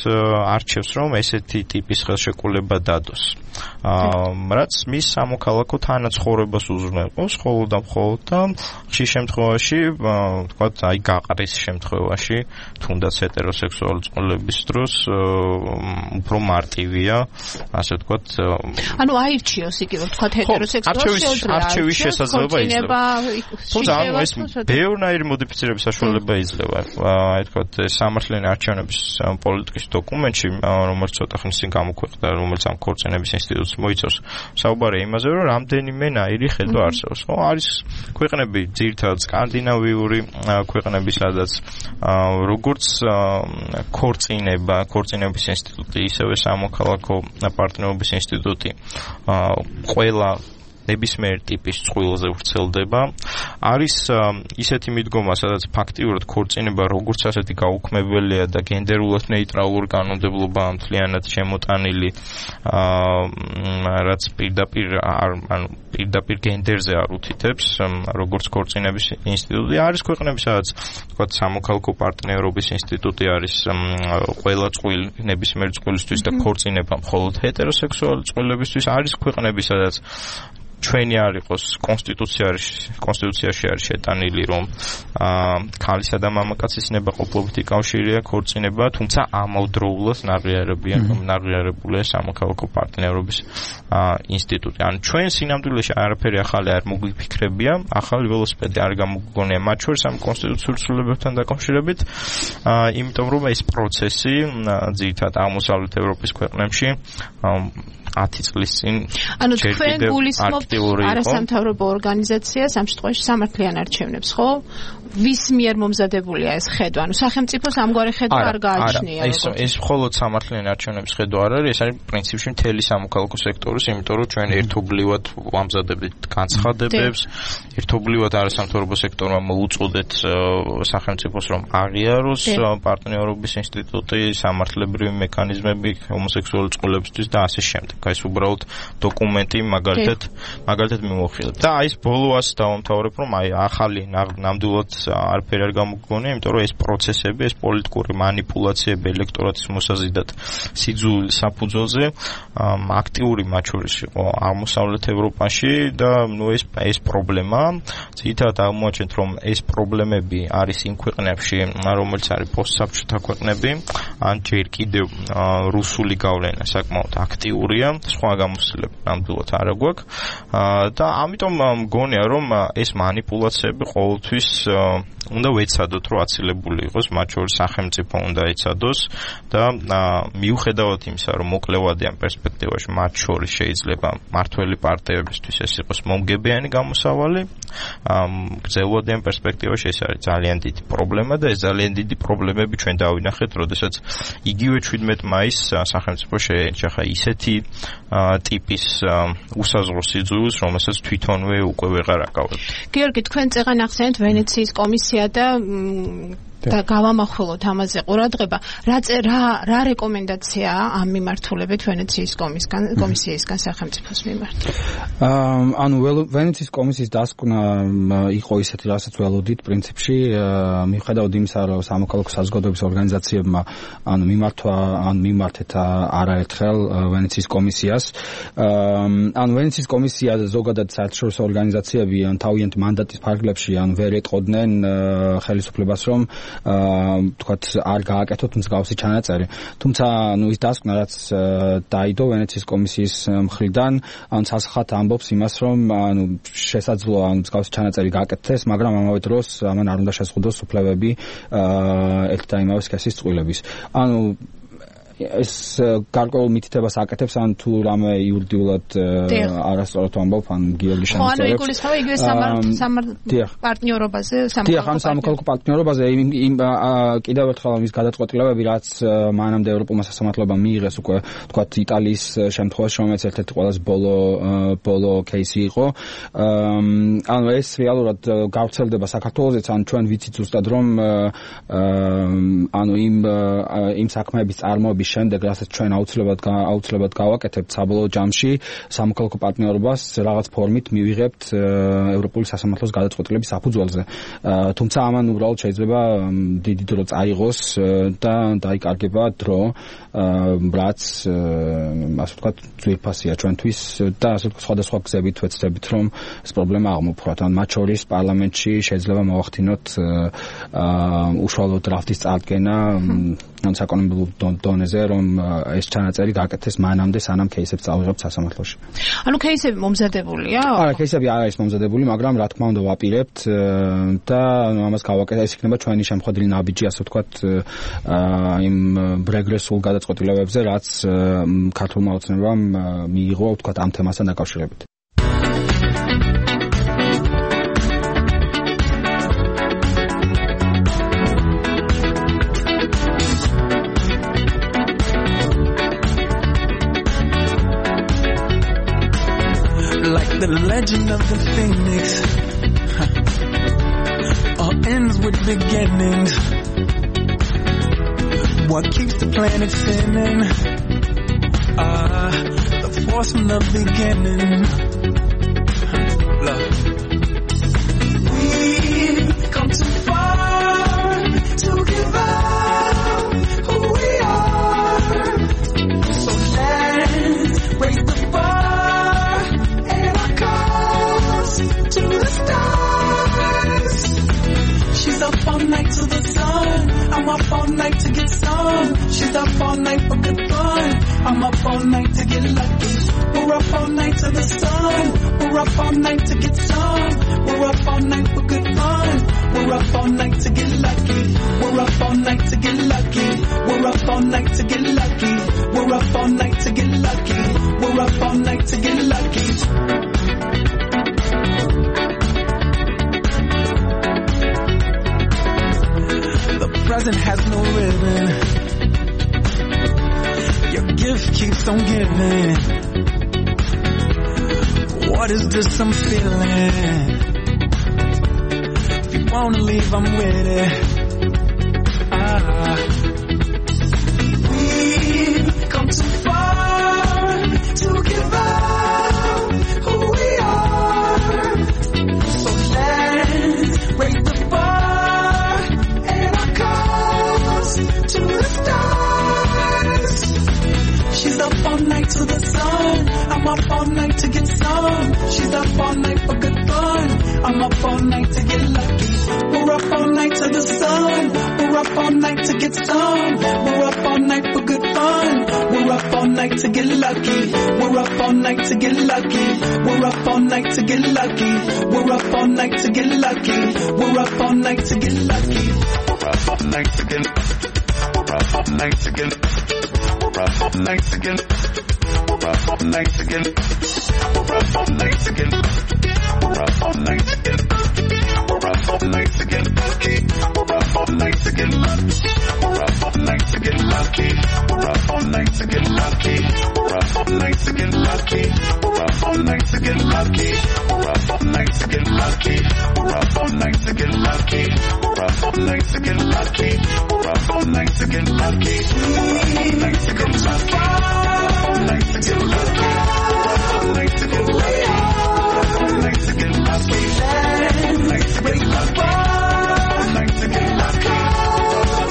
არჩევს რომ ესეთი ტიპის ხელშეკრულება დადოს. რაც მის სამოქალაქო თანაცხოვრებას უზრუნველყოფს მხოლოდ და მხოლოდ და ხშირ შემთხვევაში, ვთქვათ, აი გაყრის შემთხვევაში, თუნდაც ჰეტეროსექსუალური წყვილების დროს უფრო მარტივია, ასე ვთქვათ. ანუ აირჩიოს იგივე, ვთქვათ, ჰეტეროსექსუალს არჩევის შესაძლებლობა იძლევა. თუმცა ეს ბევრნაირი მოდიფიცირების საშუალება იძლევა. აი ვთქვათ, სამართლიანი არჩევნების პოლიტიკის დოკუმენტში, რომელიც ცოტა ხნის წინ გამოქვეყნდა, რომელიც ამ ქორწინების ინსტიტუტს მოიცავს, საუბარია იმაზე, რომ რამდენიმენაირი ხედვა არსებობს. ხო, არის ქვეყნები, ძირითადად სკანდინავიური ქვეყნები, სადაც როგორც ქორწინების ინსტიტუტი, ისევე სამოქალაქო პარტნიორობის ინსტიტუტი ყველა ნებისმიერ ტიპის წყვილზე ვრცელდება. არის ისეთი მიდგომა, სადაც ფაქტიურად ქორწინება როგორც ასეთი გაუქმებელია და გენდერულად ნეიტრალური კანონმდებლობა მთლიანად შემოტანილი, რაც პირდაპირ გენდერზე არ უთითებს, როგორც ქორწინების ინსტიტუტი. არის ქვეყნები, სადაც თქვათ სამოქალაქო პარტნიორობის ინსტიტუტი არის ყველა ნებისმიერ წყვილისთვის და ქორწინება მხოლოდ ჰეტეროსექსუალური წყვილებისთვის. არის ქვეყნები, სადაც ჩვენი არ იყოს კონსტიტუციაში არის შეტანილი რომ ქალისა და მამაკაცის ნებაყოფლობითი კავშირია ქორწინება, თუმცა ამავდროულად ნაღიარებულია სამოქალაქო პარტნიორობის ინსტიტუტი. ანუ ჩვენ სინამდვილეში არაფერი ახალი არ მოგვიფიქრებია, ახალი ველოსიპედი არ გამოგვგონია მათ შორის ამ კონსტიტუციურ ცვლილებებთან დაკავშირებით, იმიტომ რომ ეს პროცესი ძირითადად აღმოსავლეთ ევროპის ქვეყნებში 10 წლის წინ ანუ თქვენ გულისხმობთ არასამთავრობო ორგანიზაციას ამ შემთხვევაში სამართლიან არჩევნებს, ხო? ვის მიერ მომზადებულია ეს ხედვა? ანუ სახელმწიფოს ამგვარი ხედვა არ გააჩნია. ეს მხოლოდ სამართლიან არჩევნების ხედვა არ არის, ეს არის პრინციპში მთელი სამოქალაქო სექტორის, იმიტომ რომ ჩვენ ერთობლივად ვამზადებთ განცხადებებს, ერთობლივად არასამთავრობო სექტორმა მოუწოდეთ სახელმწიფოს რომ აღიაროს პარტნიორობის ინსტიტუტი, სამართლებრივი მექანიზმები ჰომოსექსუალური წყვილებისთვის და ასე შემდეგ. ეს უბრალოდ დოკუმენტი მაგალითად მიმოხილეთ. და აი ეს ბოლო ას დავამთავრებ, რომ აი ახალი ნამდვილად არაფერი არ გამოგვგონია, იმიტომ რომ ეს პროცესები, ეს პოლიტიკური მანიპულაციები ელექტორატის მოსაზიდად სიძულვილ საფუძველზე აქტიური მათ შორის იყო აღმოსავლეთ ევროპაში და ეს პრობლემა ძირითადად აღმოაჩენთ, რომ ეს პრობლემები არის იმ ქვეყნებში, რომელიც არის პოსტსაბჭოთა ქვეყნები, ან ჯერ კიდევ რუსული გავლენა საკმაოდ აქტიურია, სხვა გამოცდილება ნამდვილად არ აქვს. და ამიტომ მგონია რომ ეს манипуляციები ყოველთვის უნდა ვეცადოთ რომ აცილებული იყოს მათ შორის სახელმწიფო უნდა ეცადოს და მიუხედავად იმისა რომ მოკლევადიან პერსპექტივაში მათ შორის შეიძლება მართველი პარტიებისთვის ეს იყოს მომგებიანი გამოსავალი გრძელვადიან პერსპექტივაში ეს არის ძალიან დიდი პრობლემა და ეს ძალიან დიდი პრობლემები ჩვენ დავინახეთ როდესაც იგივე 17 მაისს სახელმწიფო შეენახა ისეთი ტიპის უსაზღვრო სიძულვილს რომელსაც თვითონვე უკვე ვეღარ აკავებთ გიორგი თქვენ წეღან ახსენეთ ვენეციის კომისია და გავამახვილოთ ამაზე ყურადღება რა რეკომენდაციაა ამ მიმართულებით ვენეციის კომისიისგან სახელმწიფოს მიმართ ანუ ვენეციის კომისიის დასკვნა იყო ისეთი რასაც ველოდით პრინციპში მიუხედავად იმისა რომ სამოქალაქო საზოგადოების ორგანიზაციებმა ანუ მიმართეთ არაერთხელ ვენეციის კომისიას ანუ ვენეციის კომისია ზოგადად საერთაშორისო ორგანიზაციები თავიანთ მანდატის ფარგლებში ვერ ეტყოდნენ ხელისუფლებას რომ თქვათ არ გააკეთოთ მსგავსი ჩანაწერი. თუმცა ის დასკვნა რაც დაიდო ვენეციის კომისიის მხრიდან სასახად ამბობს იმას რომ შესაძლოა მსგავსი ჩანაწერი გააკეთდეს, მაგრამ ამავე დროს ამან არ უნდა შეზღუდოს უფლებები ერთ და იმავე სქესის წყვილების. ეს გარკვეულ მითითებას აკეთებს ან თუ რამე იურიდიულად არასწორად ამბობ ან გიორგი შემოწერებს. ხო, იგულისხმება იგივე პარტნიორობაზე, სამოქალაქო პარტნიორობაზე იმ კიდევ ერთხელ ამის გადაწყვეტილებები, რაც მანამდე ევროპულმა სასამართლოებამ მიიღეს უკვე თქვათ იტალიის შემთხვევაში, რომელიც ერთ-ერთი ყველაზე ბოლო кейსი იყო. ეს რეალურად გავრცელდება საქართველოსაც, ან ჩვენ ვიცით ზუსტად რომ იმ საქმეების წარმოების შემდეგ რასაც ჩვენ აუცილებლად გავაკეთებთ საბოლოო ჯამში სამოქალაქო პარტნიორობას რაღაც ფორმით მივიღებთ ევროპული სასამართლოს გადაწყვეტილების საფუძველზე. თუმცა ამან უბრალოდ შეიძლება დიდი დრო წაიღოს და დაიკარგება დრო რაც ასე ვთქვათ ძვირფასია ჩვენთვის და ასე ვთქვათ სხვადასხვა გზებით ვეცდებით რომ ეს პრობლემა აღმოფხვრათ. ან მათ შორის პარლამენტში შეიძლება მოვახდინოთ უშუალო დრაფტის წარდგენა ან საკანონმდებლო დონეზე რომ ეს ჩანაწერი გააკეთეს მანამდე სანამ кейსებს წავიღებთ სასამართლოში. ანუ кейსები მომზადებულია? არა, кейსები არ არის მომზადებული, მაგრამ რა თქმა უნდა ვაპირებთ და ამას გავაკეთეთ. ეს იქნება ჩვენი შემოხვედრილი ნაბიჯი, ასე ვთქვათ, იმ რეგრესულ გადაწყვეტილებებზე, რაც ქართულმა ოცნებამ მიიღო, ვთქვათ, ამ თემასთან დაკავშირებით. The legend of the phoenix all ends with beginnings. What keeps the planet spinning? The force from the beginning. Love. We've come too far to give up who we are. So let's raise the bar. To the stars. She's up all night to the sun. I'm up all night to get some. She's up all night for good fun. I'm up all night to get lucky. We're up all night to the sun. We're up all night to get some. We're up all night for good fun. We're up all night to get lucky. We're up all night to get lucky. We're up all night to get lucky. We're up all night to get lucky. We're up all night to get lucky. Present has no ribbon. Your gift keeps on giving. What is this I'm feeling? If you wanna leave, I'm with it. We've come too far to give up who we are. So let's raise the bar and our cause to the stars. She's up all night to the sun. I'm up all night to get some. She's up all night for good fun. I'm up all night to get lucky. We're up all night to the sun. We're up all night to get some. We're up all night for good fun. We're up all night to get lucky. We're up all night to get lucky. We're up all night to get lucky. We're up all night to get lucky. We're up all night to get lucky. We're up all night to get. We're up all night to get. We're up all night to get. We're up all night to get. We're up all night to get. We're up all night to get. We're up all night to get lucky. We're up all night to get lucky. We're up all night to get lucky. We're up all night to get lucky. We're up all night to get lucky. We're up all night to get lucky. We're up all night to get lucky. We're up all night to get lucky. We're up all night to get lucky. We're up all night to get lucky. We're up all night to get lucky. We're up all night to get lucky. We're up all night to get lucky. We're up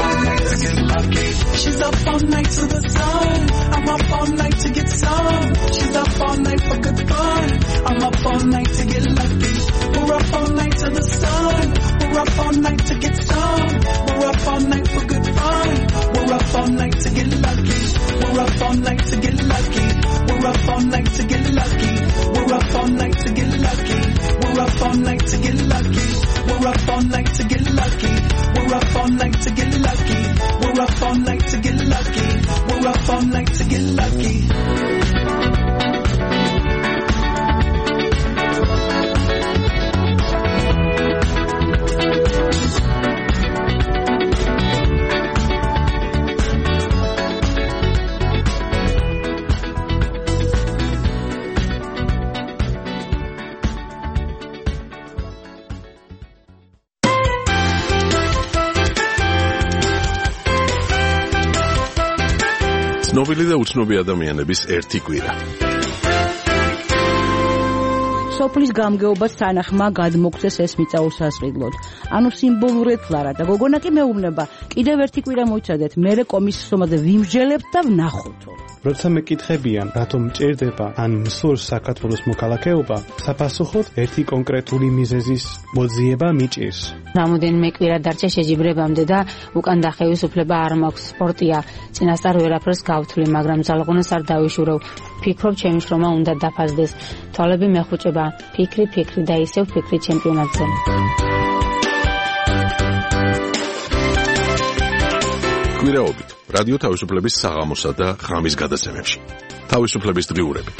all night to get lucky. She's up all night to the sun. I'm up all night to get some. She's up all night for good fun. I'm up all night to get lucky. We're up all night to the sun. We're up all night to get some. We're up all night for good fun. We're up all night to get lucky. We're up all night to get lucky. We're up all night to get lucky. We're up all night to get lucky. We're up all night to get lucky. We're up all night to get lucky. We're up all night to get lucky. We're up all night to get lucky. We're up all night to get lucky. ცნობილი და უცნობი ადამიანების ერთი კვირა. სოფლის გამგეობას თანახმა გადმოგცეს ეს მიწაურსასყიდლოდ. ანუ სიმბოლურად ფლარა და გოგონა კი მეუბნება, კიდევ ერთი კვირა მოიცადეთ, მერე კომისიის ომაზე ვიმსჯელებთ და ვნახოთ. როცა მეკითხებიან, რატომ მჭირდება ან მსურს საქართველოს მოქალაქეობა, საფასუხოდ ერთი კონკრეტული მიზეზის მოძიება მიჭირს. რამოდენიმე კვირა დარჩა შეჯიბრებამდე და უკან დახევის უფლება არ მაქვს. სპორტია, წინასწარ ვერაფერს გავთვლი, მაგრამ ძალღონას არ დავიშურევ. ფიქრობ, ჩემი შრომა უნდა დაფასდეს. თვალები მეხუჭება, ფიქრი და ისევ ფიქრი ჩემპიონატზე. კვირაობით რადიო თავისუფლების საღამოსა და ღამის გადაცემებში. თავისუფლების დღიურები.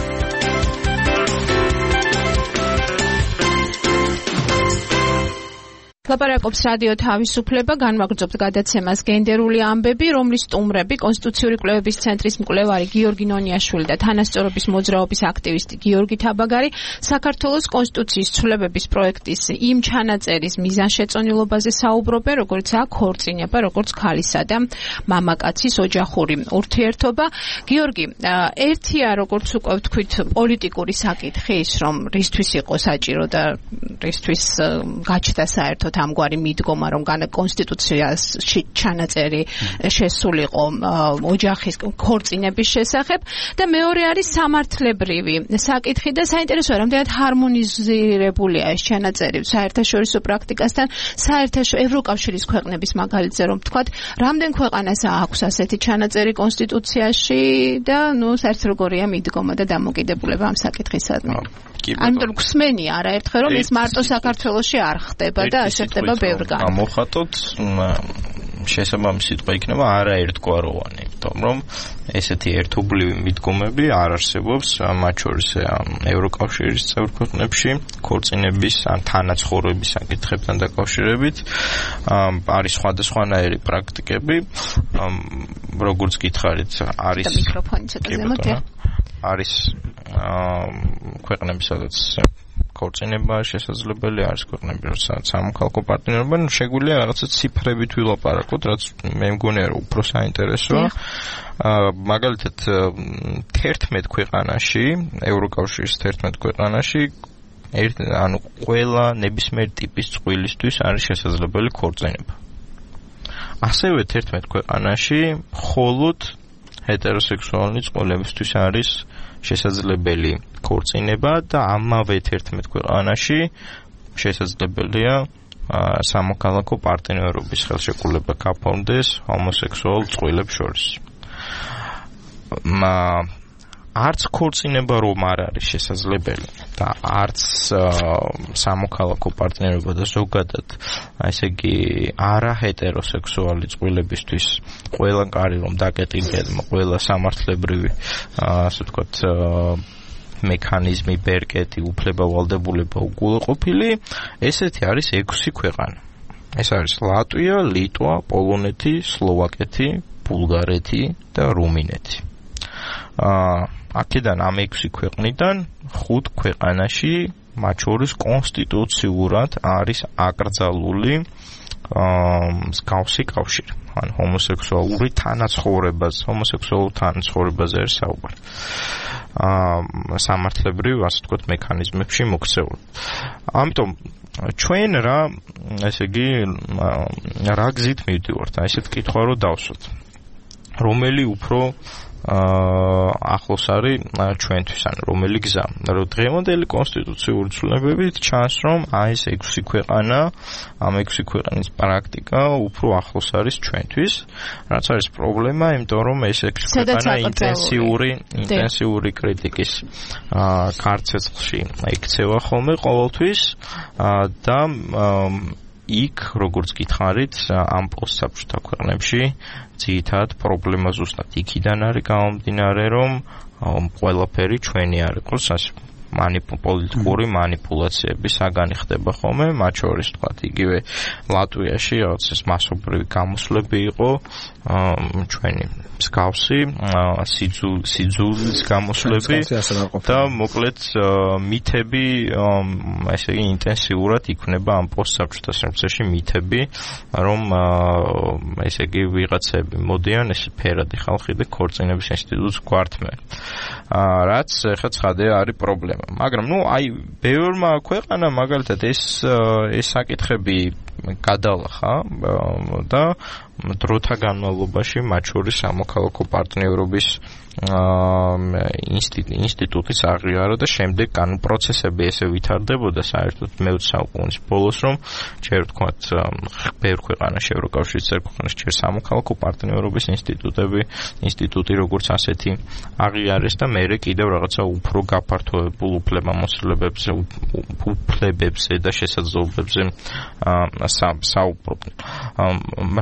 ლაპარაკობს რადიო თავისუფლება, განვაგრძობთ გადაცემას გენდერული ამბები, რომლის სტუმრები კონსტიტუციური კვლევების ცენტრის მკვლევარი გიორგი ნონიაშვილი და თანასწორობის მოძრაობის აქტივისტი გიორგი თაბაგარი საქართველოს კონსტიტუციის ცვლილებების პროექტის იმ ჩანაწერის მიზანშეწონილობაზე საუბრობენ, როგორც აქ ქორწინება, როგორც ქალისა და მამაკაცის ოჯახური ურთიერთობა. გიორგი, ერთია როგორც უკვე ვთქვით პოლიტიკური საკითხი ის, რომ რისთვის იყო საჭირო და რისთვის გაჩნდა საერთოდ ამგვარი მიდგომა, რომ კონსტიტუციაში ჩანაწერი შესულიყო ოჯახის ქორწინების შესახებ და მეორე არის სამართლებრივი საკითხი და საინტერესოა, რამდენად ჰარმონიზირებულია ეს ჩანაწერი საერთაშორისო პრაქტიკასთან, ევროკავშირის ქვეყნების მაგალითზე რომ ვთქვათ, რამდენ ქვეყანას აქვს ასეთი ჩანაწერი კონსტიტუციაში და საერთოდ როგორია მიდგომა და დამოკიდებულება ამ საკითხისადმი. ამიტომ გვსმენია არაერთხელ რომ ეს მარტო საქართველოში არ ხდება და ასე ხდება ბევრგან. მოხატოთ შესაბამისი სიტყვა იქნება არაერთგვაროვანი, იმიტომ რომ ესეთი ერთობლივი მიდგომები არ არსებობს მათ შორის ევროკავშირის წევრ ქვეყნებში ქორწინების ან თანაცხოვრების საკითხებთან დაკავშირებით. არის სხვადასხვანაირი პრაქტიკები, როგორც გითხარით, არის მიკროფონი ცოტა ზემოთ არის ქვეყნები, სადაც ქორწინება შესაძლებელი არის, ქვეყნები, სადაც სამოქალაქო პარტნიორობა, შეგვიძლია რაღაცა ციფრებით ვილაპარაკოთ, რაც მე მგონია რომ უფრო საინტერესოა. მაგალითად 11 ქვეყანაში, ევროკავშირის 11 ქვეყანაში ანუ ყველა ნებისმიერ ტიპის წყვილისთვის არის შესაძლებელი ქორწინება. ასევე 11 ქვეყანაში მხოლოდ ჰეტეროსექსუალური წყვილებისთვის არის შესაძლებელი ქორწინება და ამავე 11 ქვეყანაში შესაძლებელია სამოქალაქო პარტნიორობის ხელშეკრულება გაფორმდეს ჰომოსექსუალ წყვილებს შორის. არც ქორწინება რომ არ არის შესაძლებელი და არც სამოქალაქო პარტნიორობა და ზოგადად ესე იგი არაჰეტეროსექსუალი წყვილებისთვის ყველა კარი რომ დაკეტინგებმა ყველა სამართლებრივი ასე ვთქვათ მექანიზმი ბერკეტი უფლება ვალდებულება უგულოყოფილი ესეთი არის 6 ქვეყანა ეს არის ლატვია, ლიტვა, პოლონეთი, სლოვაკეთი, ბულგარეთი და რუმინეთი აქედან ამ 6 ქვეყნიდან 5 ქვეყანაში მათ შორის კონსტიტუციურად არის აკრძალული მსგავსი კავშირი ან ჰომოსექსუალური თანაცხოვრებაზე არის საუბარი სამართლებრივ ასე ვთქვათ მექანიზმებში მოქცეული ამიტომ ჩვენ ესე იგი რა გზით მივდივართ ესეთ კითხვა რომ დავსვათ რომელი უფრო ახლოს არის ჩვენთვის ან რომელი გზა რომ დღევანდელი კონსტიტუციური ცვლილებებით ჩანს რომ ეს 6 ქვეყანა ამ 6 ქვეყნის პრაქტიკა უფრო ახლოს არის ჩვენთვის რაც არის პრობლემა იმიტომ რომ ეს 6 ქვეყანა ინტენსიური კრიტიკის ქარცეცხლში იქცევა ხოლმე ყოველთვის და იქ როგორც გითხარით ამ პოსტსაბჭოთა ქვეყნებში ძირითადად პრობლემა ზუსტად იქიდან არის გამომდინარე რომ ყველაფერი ჩვენი არ იყოს პოლიტიკური манипуляციები საგანი ხდება ხოლმე მათ შორის თქვა იგივე ლატვიაში რაღაც ეს მასობრივი გამოსვლები იყო ჩვენი მსგავსი სიძულის გამოსვლები და მოკლედ მითები ესე იგი ინტენსიურად იქნება ამ პოსტსაბჭოთა სივრცეში მითები რომ ესე იგი ვიღაცები მოდიან ეს ფერადი ხალხი და ქორწინების ინსტიტუტს გვართმენ რაც ხა ცხადია არის პრობლემა მაგრამ აი ბევრმა ქვეყანა მაგალითად ეს საკითხები გადალახა და დროთა განმავლობაში მათ შორის სამოქალაქო პარტნიორობის ინსტიტუტის აღიარა და შემდეგ პროცესები ესე ვითარდებოდა საერთოდ მე-20 საუკუნის ბოლოს რომ ჯერ ვთქვათ ბევრ ქვეყანაში ევროკავშირის ქვეყანაში ჯერ სამოქალაქო პარტნიორობის ინსტიტუტი როგორც ასეთი აღიარეს და მერე კიდევ რაღაცა უფრო გაფართოებულ უფლებებზე და შესაძლებლობებზე საუბრობდნენ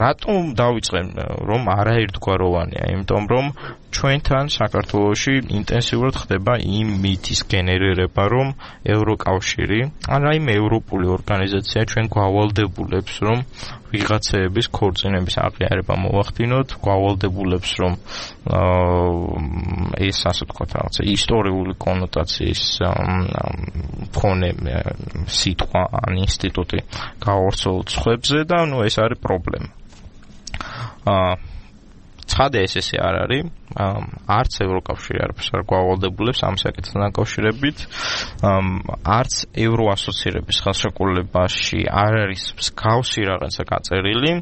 რატომ დავიწყე რომ არაერთგვაროვანია იმიტომ რომ ჩვენთან საქართველოში ინტენსიურად ხდება იმ მითის გენერირება რომ ევროკავშირი ან რაიმე ევროპული ორგანიზაცია ჩვენ გვავალდებულებს რომ ვიღაცეების ქორწინების აღიარება მოვახდინოთ გვავალდებულებს რომ ეს ასე ვთქვათ რაღაცა ისტორიული კონოტაციის მქონე სიტყვა ან ინსტიტუტი გაავრცელოთ სხვებზე და ეს არის პრობლემა ცხადია ესე არ არის არც ევროკავშირი არაფერს არ გვავალდებულებს ამ საკითხთან დაკავშირებით არც ევროასოცირების ხელშეკრულებაში არ არის მსგავსი რაღაცა გაწერილი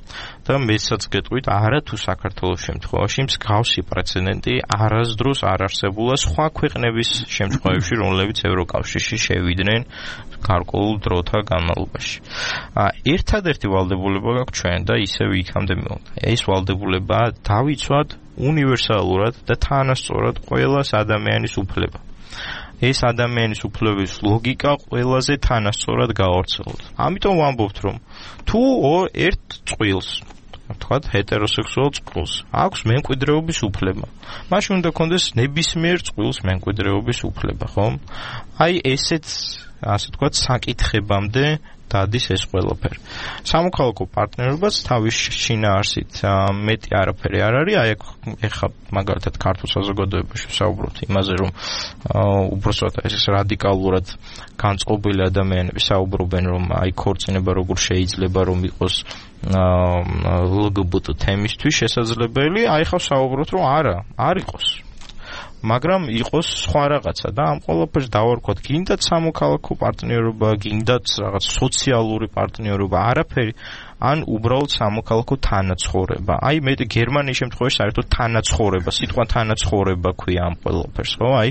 და მეცაც გეტყვით არათუ საქართველოს შემთხვევაში მსგავსი პრეცედენტი არასდროს არ არსებულა სხვა ქვეყნების შემთხვევაში რომლებიც ევროკავშირში შევიდნენ გარკვეულ დროთა განმავლობაში ერთადერთი ვალდებულება გაქვს ჩვენ და ისევ იქამდე მივიდა ეს ვალდებულება დავიცვათ უნივერსალურად და თანასწორად ყველას ადამიანის უფლება. ეს ადამიანის უფლების ლოგიკა ყველაზე თანასწორად გაავრცელოთ. ამიტომ ვამბობთ, რომ თუ ერთ წყვილს, თქვათ, ჰეტეროსექსუალ წყვილს აქვს მემკვიდრეობის უფლება. მაშინ უნდა კონდეს ნებისმიერ წყვილს მემკვიდრეობის უფლება, ხო? აი ესეც, ასე თქვათ, საკითხებამდე დადის ეს ყველაფერი. სამოქალაქო პარტნიორობაც თავის შინაარსით მეტი არაფერი არ არის. აი ეხლა მაგალითად ქართულ საზოგადოებაში ვსაუბრობთ იმაზე, რომ უბრალოდ ეს რადიკალურად განწყობილი ადამიანები საუბრობენ, რომ აი ქორწინება როგორ შეიძლება რომ იყოს LGBT თემისთვის შესაძლებელი. აი ხა ვსაუბრობთ, რომ არა, არ იყოს. მაგრამ იყოს სხვა რაღაცა და ამ ყველაფერს დავარქვათ გინდათ სამოქალაქო პარტნიორობა, გინდათ რაღაც სოციალური პარტნიორობა, არაფერი ან უბრალოდ სამოქალაქო თანაცხოვრება. აი მე გერმანიის შემთხვევაში საერთოდ თანაცხოვრება, სიტყვა თანაცხოვრება ქვია ამ ყველაფერს, ხო? აი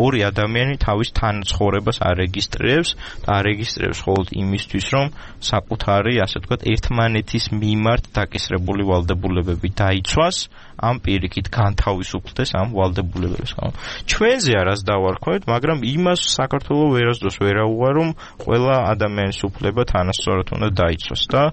ორი ადამიანი თავის თანაცხოვრებას არეგისტრირებს და არეგისტრირებს მხოლოდ იმისთვის, რომ საკუთარი, ასე ვთქვათ, ერთმანეთის მიმართ დაკისრებული ვალდებულებები დაიცვას, ამ პირიქით განთავისუფლდეს ამ ვალდებულებებს, ხო? ჩვენზე არას დავარქვით, მაგრამ იმას საქართველოს ვერასდროს ვერაუღარ, რომ ყველა ადამიანის უფლება თანასწორად უნდა დაიცვას და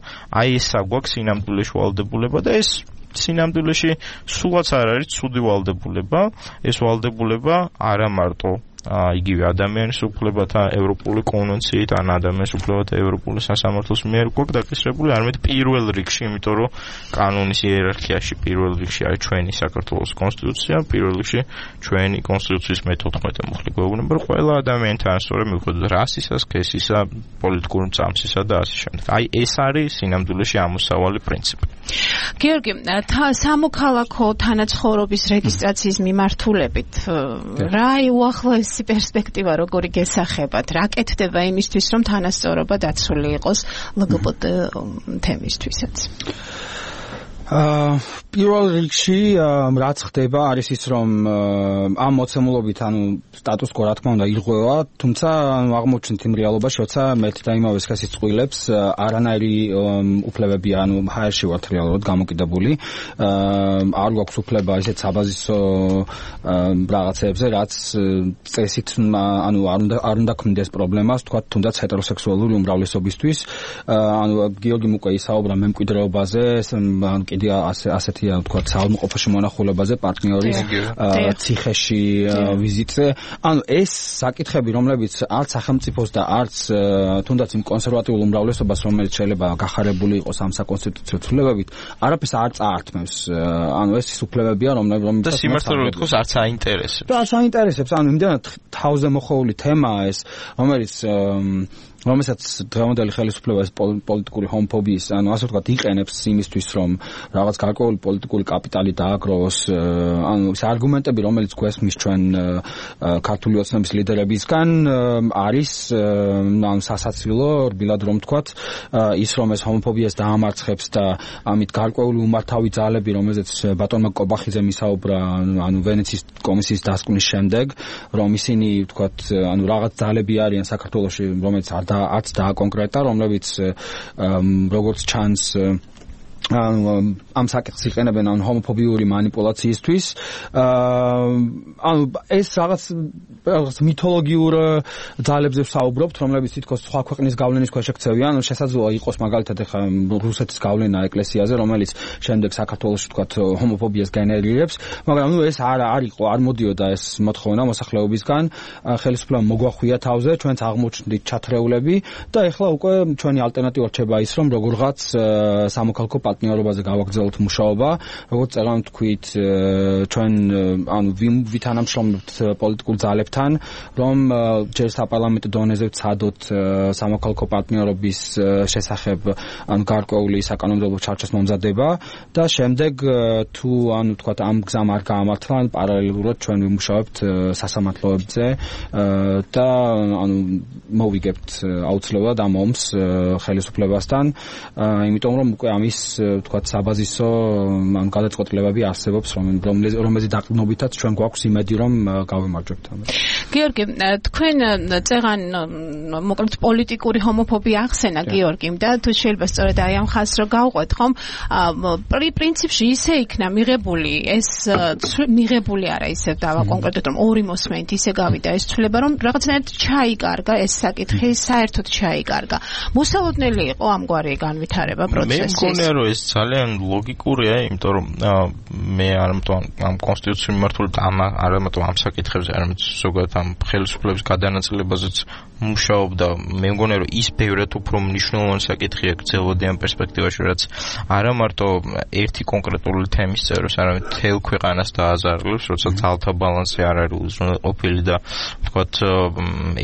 აი ეს აგვაქვს სინამდვილეში ვალდებულება და ეს სინამდვილეში სულაც არ არის ცუდი ვალდებულება, ეს ვალდებულება არა მარტო იგივე ადამიანის უფლებათა ევროპული კონვენციით ან ადამიანის უფლებათა ევროპული სასამართლოს მიერ გვაქვს დაკისრებული, არამედ პირველ რიგში, იმიტომ რომ კანონის იერარქიაში პირველ რიგში არის ჩვენი საქართველოს კონსტიტუცია, პირველ რიგში ჩვენი კონსტიტუციის მე-14 მუხლი გვეუბნება, რომ ყველა ადამიანი თანასწორია მიუხედავად რასისა, სქესისა, პოლიტიკური წამსისა და ასე შემდეგ. აი ეს არის სინამდვილეში ამოსავალი პრინციპი. გიორგი, სამოქალაქო თანაცხოვრობის რეგისტრაციის მიმართულებით რა უახლოესი პერსპექტივა როგორი გესახებათ? რა კეთდება იმისთვის, რომ თანასწორობა დაცული იყოს LGBT თემისთვისაც? პირველ რიგში რაც ხდება არის ის რომ ამ მოცემულობით ანუ სტატუს კო რა თქმა უნდა ირღვევა, თუმცა აღმოჩნდით იმ რეალობაში, როცა მეთი და იმავე სქესის წყვილებს არანაირი უფლებები ანუ ჰაერში ვართ რეალურად გამოკიდებული, არ გვაქვს უფლება ისეთ საბაზისო რაღაცებზე, რაც წესით ანუ არ უნდა ქმნიდეს პრობლემას, თქვა თუნდაც ჰეტეროსექსუალური უმრავლესობისთვის, ანუ გიორგიმ უკვე ისაუბრა მემკვიდრეობაზე, ასეთია ვთქვათ საავადმყოფოში მონახულებაზე, პარტნიორის ციხეში ვიზიტზე. ანუ ეს საკითხები, რომლებიც არც სახელმწიფოს და არც თუნდაც იმ კონსერვატიულ უმრავლესობას, რომელიც შეიძლება გახარებული იყოს ამ საკონსტიტუციო ცვლილებებით, არაფერს არ წაართმევს. ანუ ეს ის უფლებებია, რომლებიც და სიმართლე ვთქვათ, არც აინტერესებს. და არც აინტერესებს, ანუ იმდენად თავზე მოხოვული თემაა ეს, რომელსაც დღევანდელი ხელისუფლება ეს პოლიტიკური ჰომოფობიის, ანუ ასე ვთქვათ, იყენებს იმისთვის, რომ რაღაც გარკვეული პოლიტიკური კაპიტალი დააგროვოს, ანუ ეს არგუმენტები, რომელიც გვესმის ჩვენ ქართული ოცნების ლიდერებისგან, არის ანუ სასაცილო, რბილად რომ ვთქვათ, ის რომ ეს ჰომოფობიას დაამარცხებს და ამით გარკვეული უმართავი ძალები, რომელზეც ბატონმა კობახიძემ ისაუბრა, ანუ ვენეციის კომისიის დასკვნის შემდეგ, რომ ისინი ვთქვათ, ანუ რაღაც ძალები არიან საქართველოში, რომელიც არც დააკონკრეტა, რომლებიც როგორც ჩანს ამ საკითხს იყენებენ ან ჰომოფობიური მანიპულაციისთვის. ანუ ეს რაღაც მითოლოგიურ ძალებზე ვსაუბრობთ, რომლებიც თითქოს სხვა ქვეყნის გავლენის ქვეშ ექცევიან. შესაძლოა იყოს მაგალითად ახლა რუსეთის გავლენა ეკლესიაზე, რომელიც შემდეგ საქართველოში ვთქვათ ჰომოფობიას გენერირებს, მაგრამ ეს არ იყო, არ მოდიოდა ეს მოთხოვნა მოსახლეობისგან. ხელისუფლებამ მოგვახვია თავზე, ჩვენც აღმოჩნდით ჩათრეულები და ეხლა უკვე ჩვენი ალტერნატივა რჩება ის, რომ როგორღაც სამოქალაქო პარტნიორობაზე გავაგრძელოთ მუშაობა, როგორც წეგან თქვით, ჩვენ ანუ ვითანამშრომლებთ პოლიტიკურ ძალებთან, რომ ჯერ საპარლამენტო დონეზე ვცადოთ სამოქალაქო პარტნიორობის შესახებ ანუ გარკვეული საკანონმდებლო ჩარჩოს მომზადება და შემდეგ თუ ანუ თქვათ ამ გზამ არ გაამართლა, პარალელურად ჩვენ ვიმუშავებთ სასამართლოებზე და ანუ მოვიგებთ აუცილებლად ამ ომს ხელისუფლებასთან, იმიტომ რომ უკვე ამის ვთქვათ საბაზისო ან გადაწყვეტილებები არსებობს, რომელზეც დაყრდნობითაც ჩვენ გვაქვს იმედი, რომ გავიმარჯვებთ ამას. გიორგი, თქვენ წეგან მოკლედ პოლიტიკური ჰომოფობია ახსენა გიორგიმ და თუ შეიძლება სწორედ აი ამ ხაზს რო გავყვეთ, ხომ? პრინციპში ისე იქნა მიღებული ეს მიღებული არა ისე დავაკონკრეტოთ, რომ ორი მოსმენით ისე გავიდა ეს ცვლილება, რომ რაღაცნაირად ჩაიკარგა ეს საკითხი, საერთოდ ჩაიკარგა. მოსალოდნელი იყო ამგვარი განვითარება პროცესის. მე მგონია, რომ ეს ძალიან ლოგიკურია, იმიტომ რომ მე არამედ ამ კონსტიტუციის მიმართულებით არამედ ამ საკითხებზე, არამედ ზოგადად ამ ხელისუფლების გადანაწილებაზეც მუშაობდა. მე მგონია რომ ის ბევრად უფრო მნიშვნელოვანი საკითხია გრძელვადიან პერსპექტივაში, რაც არა მარტო ერთი კონკრეტული თემის წეროს, არამედ მთელ ქვეყანას დააზარალებს, როცა ძალთა ბალანსი არ არის უზრუნველყოფილი და ვთქვათ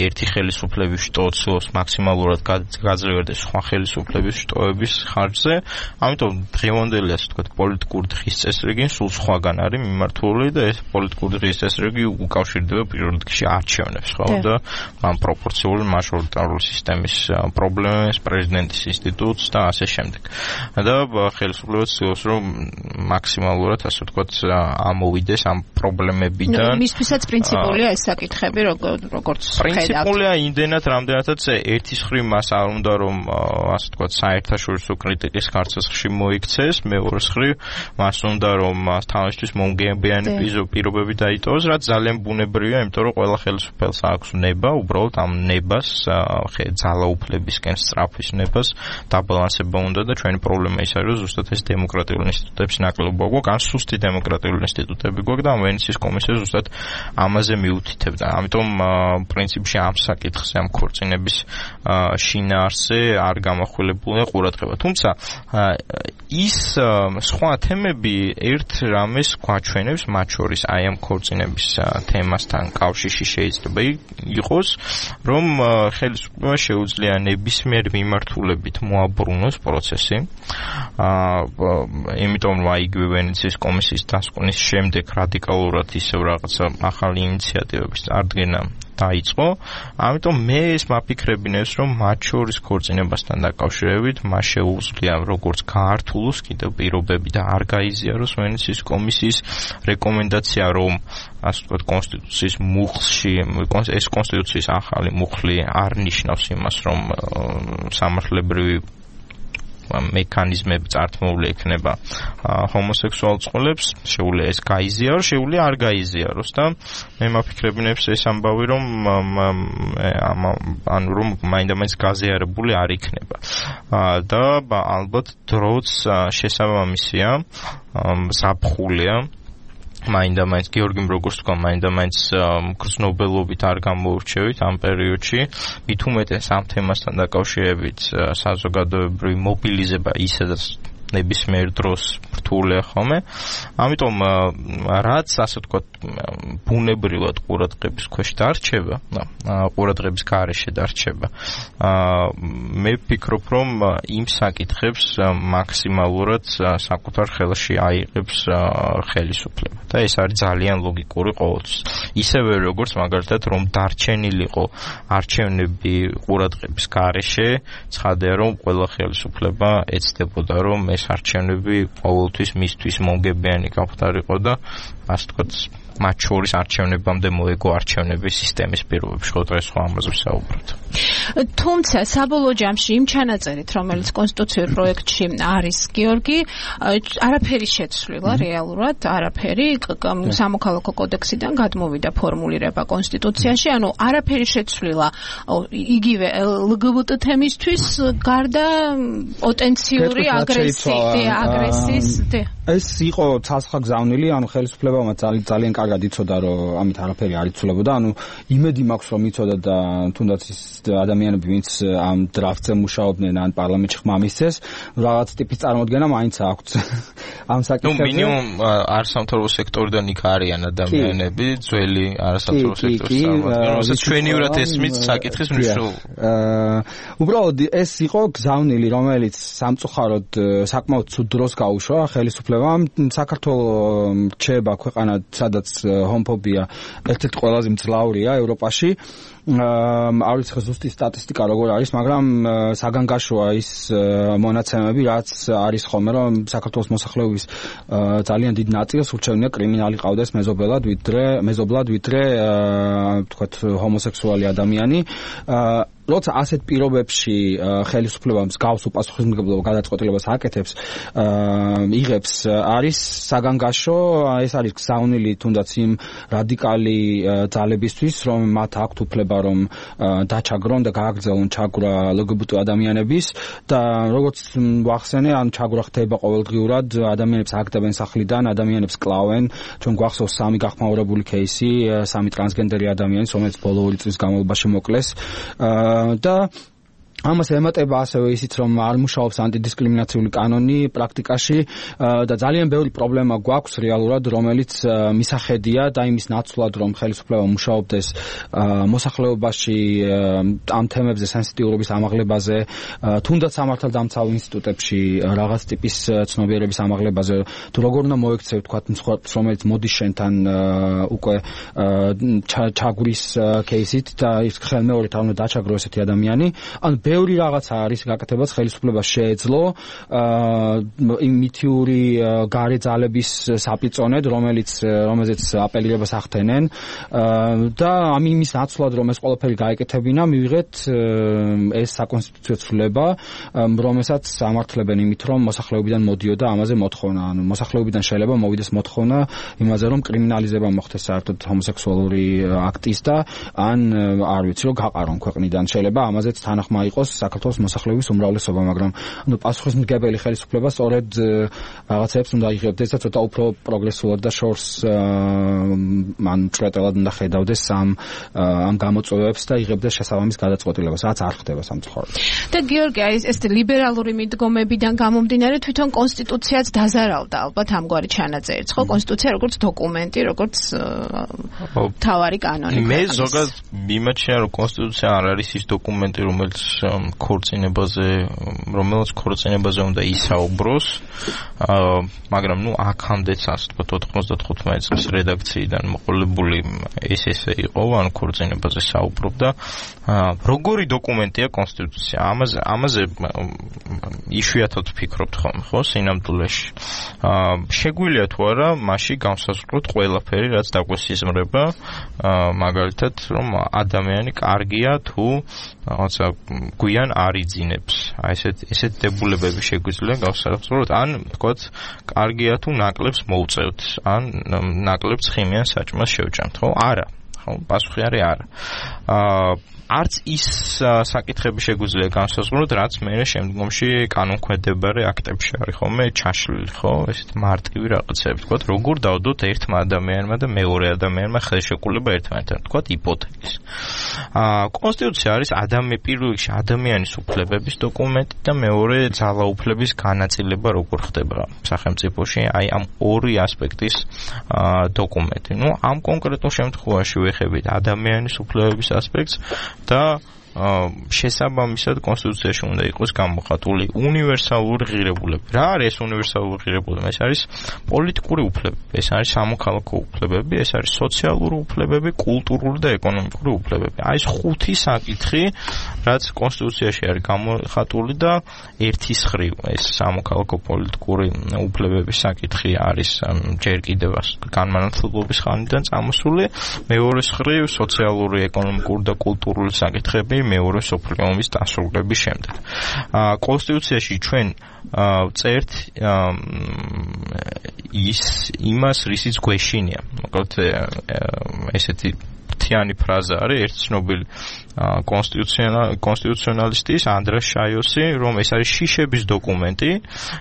ერთი ხელისუფლების შტოს მაქსიმალურად გაძლიერდეს სხვა ხელისუფლების შტოების ხარჯზე. ამიტომ დღევანდელი ასე ვთქვათ პოლიტიკური დღის წესრიგი სულ სხვაგან არის მიმართული და ეს პოლიტიკური დღის წესრიგი უკავშირდება პირველ რიგში არჩევნებს, ხო? და ამ პროპორციული მაჟორიტარული სისტემის პრობლემებს, პრეზიდენტის ინსტიტუტს და ასე შემდეგ. და ხელისუფლება ცდილობს რომ მაქსიმალურად ასე ვთქვათ ამოვიდეს ამ პრობლემებიდან. მისთვისაც პრინციპულია ეს საკითხები, როგორც პრინციპულია იმდენად, რამდენადაც ერთის მხრივ მას არ უნდა რომ ასე ვთქვათ საერთაშორისო კრიტიკის ხარჯზე მოიქცეს, მეორეს მხრივ მას უნდა რომ თავისთვის მომგებიანი პირობები დაიტოვოს, რაც ძალიან ბუნებრივია, იმიტომ რომ ყველა ხელისუფლებას აქვს ნება, უბრალოდ ამ ნებას ძალაუფლებისკენ სწრაფვის ნებას დაბალანსება უნდა და ჩვენი პრობლემა ის არის, რომ ზუსტად ეს დემოკრატიული ინსტიტუტების ნაკლებობა გვაქვს, ან სუსტი დემოკრატიული ინსტიტუტები გვაქვს და ვენეციის კომისია ზუსტად ამაზე მიუთითებდა. ამიტომ პრინციპში ამ საკითხზე, ამ ქორწინების შინაარსზე არ გამახვილებულია ყურადღება. თუმცა ის სხვა თემები ერთ რამეს გვაჩვენებს, მათ შორის აი ამ ქორწინების თემასთან კავშირში შეიძლება იყოს, რომ ხელისუფლება შეუძლია ნებისმიერ მიმართულებით მოაბრუნოს პროცესი. იმიტომ რომ იგივე ვენეციის კომისიის დასკვნის შემდეგ რადიკალურად ისევ რაღაცა ახალი ინიციატივების წარდგენა დაიწყო. ამიტომ მე ეს მაფიქრებინებს, რომ მათ შორის ქორწინებასთან დაკავშირებით მას შეუძლია როგორც გაართულოს კიდევ პირობები და არ გაიზიაროს ვენეციის კომისიის რეკომენდაცია, რომ ასე ვთქვათ კონსტიტუციის მუხლში ეს კონსტიტუციის ახალი მუხლი არ ნიშნავს იმას, რომ სამართლებრივი მექანიზმები წართმული ექნება ჰომოსექსუალ წყვილებს, შეუძლია ეს გაიზიაროს, შეუძლია არ გაიზიაროს და მე მაფიქრებინებს ეს ამბავი, რომ ანუ რომ მაინდა-მაინც გაზიარებული არ იქნება. და ალბათ დროც შესაბამისია, ზაფხულია მაინდა-მაინც გიორგიმ როგორც თქვა, მაინდა-მაინც გრძნობელობით არ გამოურჩევით ამ პერიოდში, მით უმეტეს ამ თემასთან დაკავშირებით საზოგადოებრივი მობილიზება ისედაც ნებისმიერ დროს რთულია ხოლმე. ამიტომ რაც ასე ვთქვათ ბუნებრივად ყურადღების ქვეშ დარჩება, ყურადღების გარეშე დარჩება, მე ვფიქრობ, რომ იმ საკითხებს მაქსიმალურად საკუთარ ხელში აიღებს ხელისუფლება და ეს არის ძალიან ლოგიკური ყოველთვის. ისევე როგორც მაგალითად რომ დარჩენილიყო არჩევნები ყურადღების გარეშე, ცხადია რომ ყველა ხელისუფლება ეცდებოდა რომ ეს არჩევნები ყოველთვის მისთვის მომგებიანი გამხდარიყო და ასე ვთქვათ მათ შორის არჩევნებამდე მოეგო არჩევნების სისტემის პირობებში, ხო დღეს ხო ამაზე ვსაუბრობთ. თუმცა საბოლოო ჯამში იმ ჩანაწერით, რომელიც კონსტიტუციურ პროექტში არის, გიორგი, არაფერი შეცვლილა რეალურად, არაფერი სამოქალაქო კოდექსიდან გადმოვიდა ფორმულირება კონსტიტუციაში, ანუ არაფერი შეცვლილა იგივე LGBT თემისთვის გარდა პოტენციური აგრესიის ეს იყო ცალსახა გზავნილი, ანუ ხელისუფლებამ ძალიან კარგად იცოდა, რომ ამით არაფერი არ იცვლებოდა, ანუ იმედი მაქვს, რომ იცოდა და თუნდაც ის ადამიანები, ვინც ამ დრაფტზე მუშაობდნენ, ან პარლამენტში ხმა მისცეს, რაღაც ტიპის წარმოდგენა მაინც აქვთ ამ საკითხებზე. მინიმუმ არასამთავრობო სექტორიდან იქ არიან ადამიანები, ძველი არასამთავრობო სექტორის წარმოადგენლები, რომელსაც ჩვენივრად ესმით საკითხის მნიშვნელობა. უბრალოდ ეს იყო გზავნილი, რომელიც სამწუხაროდ საკმაოდ ცუდ დროს გაუშვა ხელისუფლებამ. საქართველოს რჩება ქვეყანა, სადაც ჰომოფობია ერთ-ერთი ყველაზე მძლავრია ევროპაში. არ ვიცი ზუსტი სტატისტიკა როგორ არის, მაგრამ საგანგაშოა ის მონაცემები, რაც არის ხოლმე, რომ საქართველოს მოსახლეობის ძალიან დიდ ნაწილს ურჩევნია კრიმინალი ყავდეს მეზობლად, ვიდრე ვთქვათ ჰომოსექსუალი ადამიანი. როცა ასეთ პირობებში ხელისუფლება მსგავს უპასუხისმგებლობა გადაწყვეტილებას აკეთებს, იღებს, არის საგანგაშო, ეს არის გზავნილი თუნდაც იმ რადიკალი ძალებისთვის, რომ მათ აქვთ უფლება რომ დაჩაგრონ და გააგრძელონ ჩაგვრა LGBT ადამიანების და როგორც ვახსენე, ან ჩაგვრა ხდება ყოველდღიურად, ადამიანებს აგდებენ სახლიდან, ადამიანებს კლავენ, ჩვენ გვახსოვს 3 გახმაურებული кейსი, 3 ტრანსგენდერი ადამიანის, რომელიც ბოლო 2 წლის განმავლობაში მოკლეს და ამას ემატება ასევე ისიც, რომ არ მუშაობს ანტიდისკრიმინაციული კანონი პრაქტიკაში და ძალიან ბევრი პრობლემა გვაქვს რეალურად, რომელიც მისახედია და იმის ნაცვლად, რომ ხელისუფლება მუშაობდეს მოსახლეობაში ამ თემებზე, სენსიტიურობის ამაღლებაზე, თუნდაც სამართალდამცავ ინსტიტუტებში რაღაც ტიპის ცნობიერების ამაღლებაზე, თუ როგორ უნდა მოექცევ, თქვათ, მსხვერპლს, რომელიც მოდის შენთან უკვე ჩაგვრის кейსით და ის ხელმეორედ არ უნდა დაჩაგრო ესეთი ადამიანი, ან ბევრი რაღაცა არის გაკეთებაც ხელისუფლებას შეეძლო იმითიური გარე ძალების საპიწონედ, რომელზეც აპელირებას ახდენენ და იმის ნაცვლად, რომ ეს ყველაფერი გაეკეთებინა, მივიღეთ ეს საკონსტიტუციო ცვლილება, რომელსაც ამართლებენ იმით, რომ მოსახლეობიდან მოდიოდა ამაზე მოთხოვნა, ანუ მოსახლეობიდან შეიძლება მოვიდეს მოთხოვნა იმაზე, რომ კრიმინალიზება მოხდეს საერთოდ ჰომოსექსუალური აქტის და ან არ ვიცი, რომ გაყარონ ქვეყნიდან, შეიძლება ამაზეც თანახმა იყოს საქართველოს მოსახლეობის უმრავლესობა, მაგრამ ანუ პასუხისმგებელი ხელისუფლება სწორედ რაღაცებს უნდა იღებდეს და ცოტა უფრო პროგრესულად და შორს მან წვეტელად უნდა ხედავდეს ამ გამოწვევებს და იღებდეს შესაბამის გადაწყვეტილებას, რაც არ ხდება სამწუხაროდ. და გიორგი, ეს ლიბერალური მიდგომებიდან გამომდინარე თვითონ კონსტიტუციაც დაზარავდა ალბათ ამგვარი ჩანაწერიც, ხო? კონსტიტუცია როგორც დოკუმენტი, როგორც თავარი კანონი. მე ზოგადად მიმაჩნია, რომ კონსტიტუცია არ არის ის დოკუმენტი, რომელიც ქორწინებაზე უნდა ისაუბროს, მაგრამ აქამდეც ასე ვთქვათ 95 წლის რედაქციიდან მოყოლებული ეს იყო, ან ქორწინებაზე საუბრობდა. როგორი დოკუმენტია კონსტიტუცია? ამაზე იშვიათად ვფიქრობთ ხოლმე, ხო, სინამდვილეში. შეგვიძლია თუ არა მასში განსაზღვროთ ყველაფერი, რაც დაგვესიზმრება, მაგალითად, რომ ადამიანი კარგია თუ რაღაცა გვიან არიძინებს. აი ესეთ დებულებები შეგვიძლია გავსახსროთ, ან თქვათ, კარგია თუ ნაკლებს მოვწევთ, ან ნაკლებს ხიმიან საჭმელს შევჭამთ, ხო? არა. ხო, პასუხი არის არა. არც ის საკითხები შეგვიძლია განსაზღვროთ, რაც მე შემდგომში კანონქვემდებარე აქტებში არის ხოლმე ჩაშლილი, ხო? ესეთ მარტივი რაღაცები, თქვათ, როგორ დავდოთ ერთმა ადამიანმა და მეორე ადამიანმა ხელშეკრულება ერთმანეთთან, თქვათ, იპოთეკის. კონსტიტუცია არის პირველ რიგში ადამიანის უფლებების დოკუმენტი და მეორე ძალაუფლების განაწილება როგორ ხდება სახელმწიფოში, აი ამ ორი ასპექტის დოკუმენტი. ნუ ამ კონკრეტულ შემთხვევაში ვეხებით ადამიანის უფლებების ასპექტს და შესაბამისად კონსტიტუციაში უნდა იყოს გამოხატული უნივერსალური ღირებულება. რა არის ეს უნივერსალური ღირებულება? ეს არის პოლიტიკური უფლებები, ეს არის სამოქალაქო უფლებები, ეს არის სოციალური უფლებები, კულტურული და ეკონომიკური უფლებები. აი ეს 5 საკითხი, რაც კონსტიტუციაში არის გამოხატული და ერთის ხრივ ეს სამოქალაქო პოლიტიკური უფლებების საკითხი არის ჯერ კიდევ განმანათლებლობის ხანიდან წამოსული, მეორეს ხრივ სოციალური, ეკონომიკური და კულტურული საკითხები მეორე მსოფლიო ომის დასრულების შემდეგ. კონსტიტუციაში ჩვენ წერთ იმას, რისიც გვეშინია. მოკლედ ესეთი თიანი ფრაზა არის ერთ ცნობილ კონსტიტუციონალისტის ანდრას შაიოსი, რომ ეს არის შიშების დოკუმენტი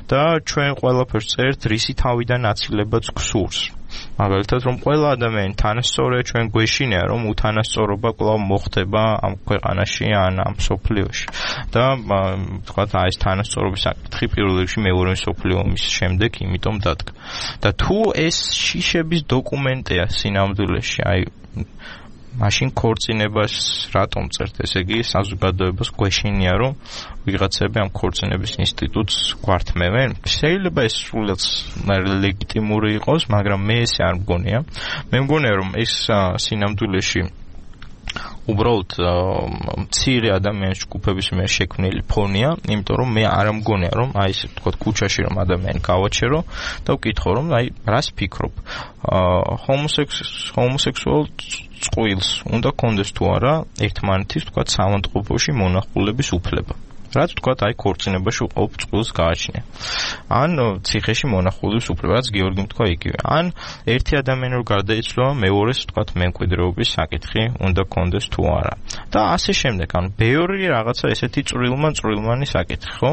და ჩვენ ყველაფერს წერთ რისი თავიდან აცილებაც გსურს. მაგალითად, რომ ყველა ადამიანი თანასწორია, ჩვენ გვეშინია, რომ უთანასწორობა კვლავ მოხდება ამ ქვეყანაში ან ამ მსოფლიოში. და თქვათ, აი ეს თანასწორობის საკითხი პირველ რიგში მეორე მსოფლიო ომის შემდეგ იმიტომ დადგა. და თუ ეს შიშების დოკუმენტია სინამდვილეში, აი მაშინ ქორწინებას რატომ წერთ? ესე იგი, საზოგადოებას გვეშინია, რომ ვიღაცები ამ ქორწინების ინსტიტუტს გვართმევენ. შეიძლება ეს სულაც ლეგიტიმური იყოს, მაგრამ მე ესე არ მგონია. მე მგონია, რომ ეს სინამდვილეში უბრალოდ მცირე ადამიანის ჯგუფების მიერ შექმნილი ფონია, იმიტომ რომ მე არ მგონია, რომ აი ესე ვთქვათ, ქუჩაში რომ ადამიანი გავაჩერო და ვკითხო, რომ აი რას ფიქრობ? ჰომოსექსუალ წყვილს უნდა კონდეს თუ არა ერთმანეთის თქვა სამავთყოფოში მონახულების უფლება. რაც თქვა აი ქორწინებაში უყოფ წყვილს გააჩნია. ან ციხეში მონახულების უფლება, რაც გიორგიმ თქვა იგივე. ან ერთი ადამიანი რო გარდაიცვალა, მეორეს თქვა მემკვიდრეობის საკითხი უნდა კონდეს თუ არა. და ასე შემდეგ, ანუ ბევრი რაღაცა ესეთი წვრილმანი საკითხი, ხო?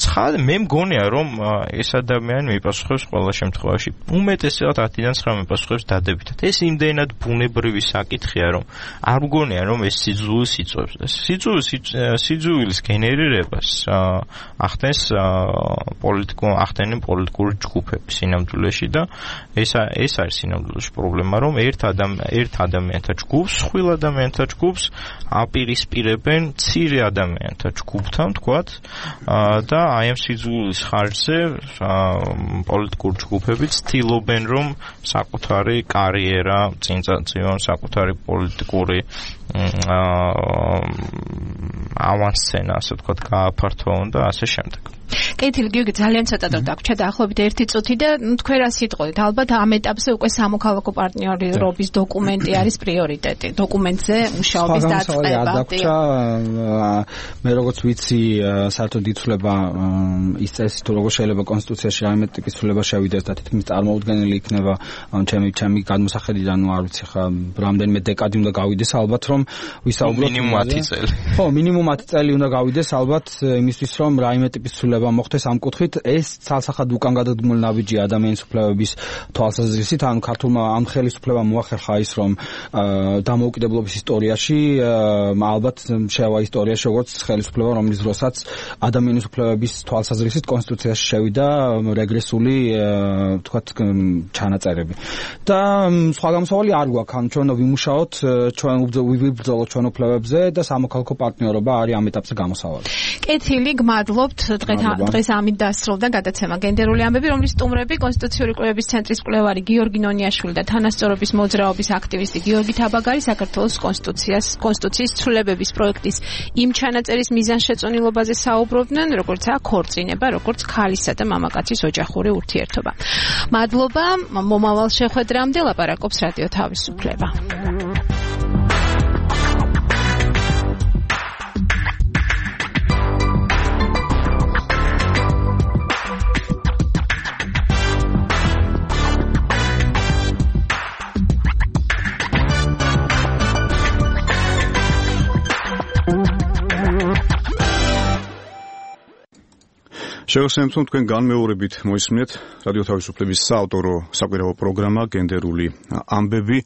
ცხადე მე მგონია რომ ეს ადამიანი მიპასუხებს ყველა შემთხვევაში უმეტესად 10-დან 9 მიპასუხებს დადებითად. ეს იმდენად ბუნებრივი საკითხია რომ არ მგონია რომ ეს სიძულვილს იწვევს. სიძულვილის გენერირებას ახდენენ პოლიტიკური ჯგუფები სინამდვილეში და ეს არის სინამდვილეში პრობლემა რომ ერთ ადამიანთა ჯგუფს, ხვილ ადამიანთა ჯგუფს აპირისპირებენ მცირე ადამიანთა ჯგუფთან, თქვათ და აი ამ სიძულვილის ხარჯზე პოლიტიკური ჯგუფები ცდილობენ რომ საკუთარი კარიერა წინწადონ, საკუთარი პოლიტიკური ავანსცენა, ასე ვთქვათ, გააფართოვონ და ასე შემდეგ. კეთილი გიორგი, ძალიან ცოტა დრო დაგვრჩა დაახლოებით 1 წუთი და თქვენ რა სიტყვით? ალბათ ამ ეტაპზე უკვე სამოქალაქო პარტნიორობის დოკუმენტი არის პრიორიტეტი. დოკუმენტზე მუშაობის დაწყება. დაგვრჩა მე როგორც ვიცი, საერთოდ იცვლება ის წესი თუ როგორ შეიძლება კონსტიტუციაში რაიმე ტიპის ცვლილება შევიდეს და თითქმის წარმოუდგენელი იქნება ჩემი გადმოსახედიდან, ნუ არ ვიცი ხა რამდენიმე დეკადი უნდა გავიდეს ალბათ რომ ვისაუბროთ მინიმუმ 10 წელი. ხო, მინიმუმ 10 წელი უნდა გავიდეს ალბათ იმისთვის რომ რაიმე ტიპის ცვლილება მოხდეს ამ კუთხით. ეს ცალსახად უკან გადადგმული ნაბიჯი ადამიანის უფლებების თვალსაზრისით, ანუ ქართულმა ამ ხელისუფლებამ მოახერხა ის რომ დამოუკიდებლობის ისტორიაში ალბათ შევა ისტორიაში როგორც ხელისუფლება რომლის დროსაც ადამიანის უფლებების თვალსაზრისით კონსტიტუციაში შევიდა რეგრესული თქვათ ჩანაწერები. და სხვა გამოსავალი არ გვაქვს, ანუ ჩვენ ვიმუშაოთ, ჩვენ ვიბრძოლოთ ჩვენ უფლებებზე და სამოქალაქო პარტნიორობა არის ამ ეტაპზე გამოსავალი. კეთილი, გმადლობთ. დღეს ამით დასრულდა გადაცემა გენდერული ამბები, რომლის სტუმრები კონსტიტუციური კვლევების ცენტრის კვლევარი გიორგი ნონიაშვილი და თანასწორობის მოძრაობის აქტივისტი გიორგი თაბაგარი საქართველოს კონსტიტუციის ცვლილებების პროექტის იმ ჩანაწერის მიზანშეწონილობაზე საუბრობდნენ, როგორც ქორწინება, როგორც ქალისა და მამაკაცის ოჯახური ურთიერთობა. მადლობა, მომავალ შეხვედრამდე ლაპარაკობს რადიო თავისუფლება. შევასრულებთ თქვენ განმეორებით მოისმინეთ რადიო თავისუფლების საავტორო საკვირაო პროგრამა გენდერული ამბები.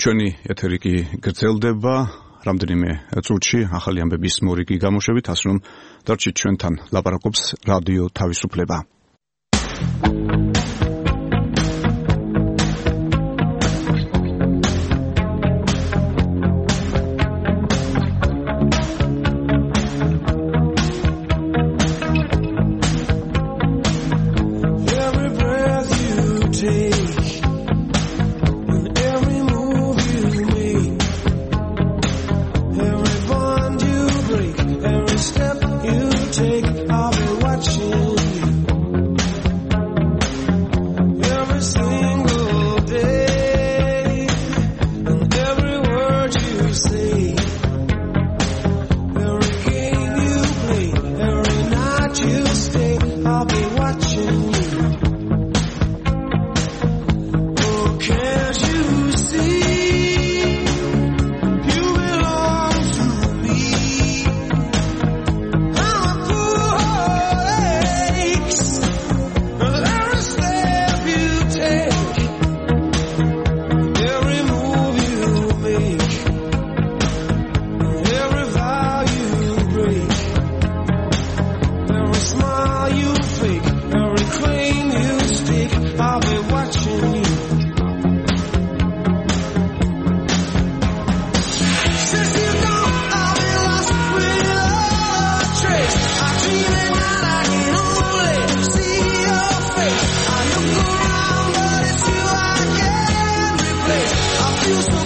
ჩვენი ეთერი კი გრძელდება რამდენიმე წუთში ახალი ამბების მორიგი გამოშვებით, ასე რომ დარჩით ჩვენთან. ლაპარაკობს რადიო თავისუფლება. I feel so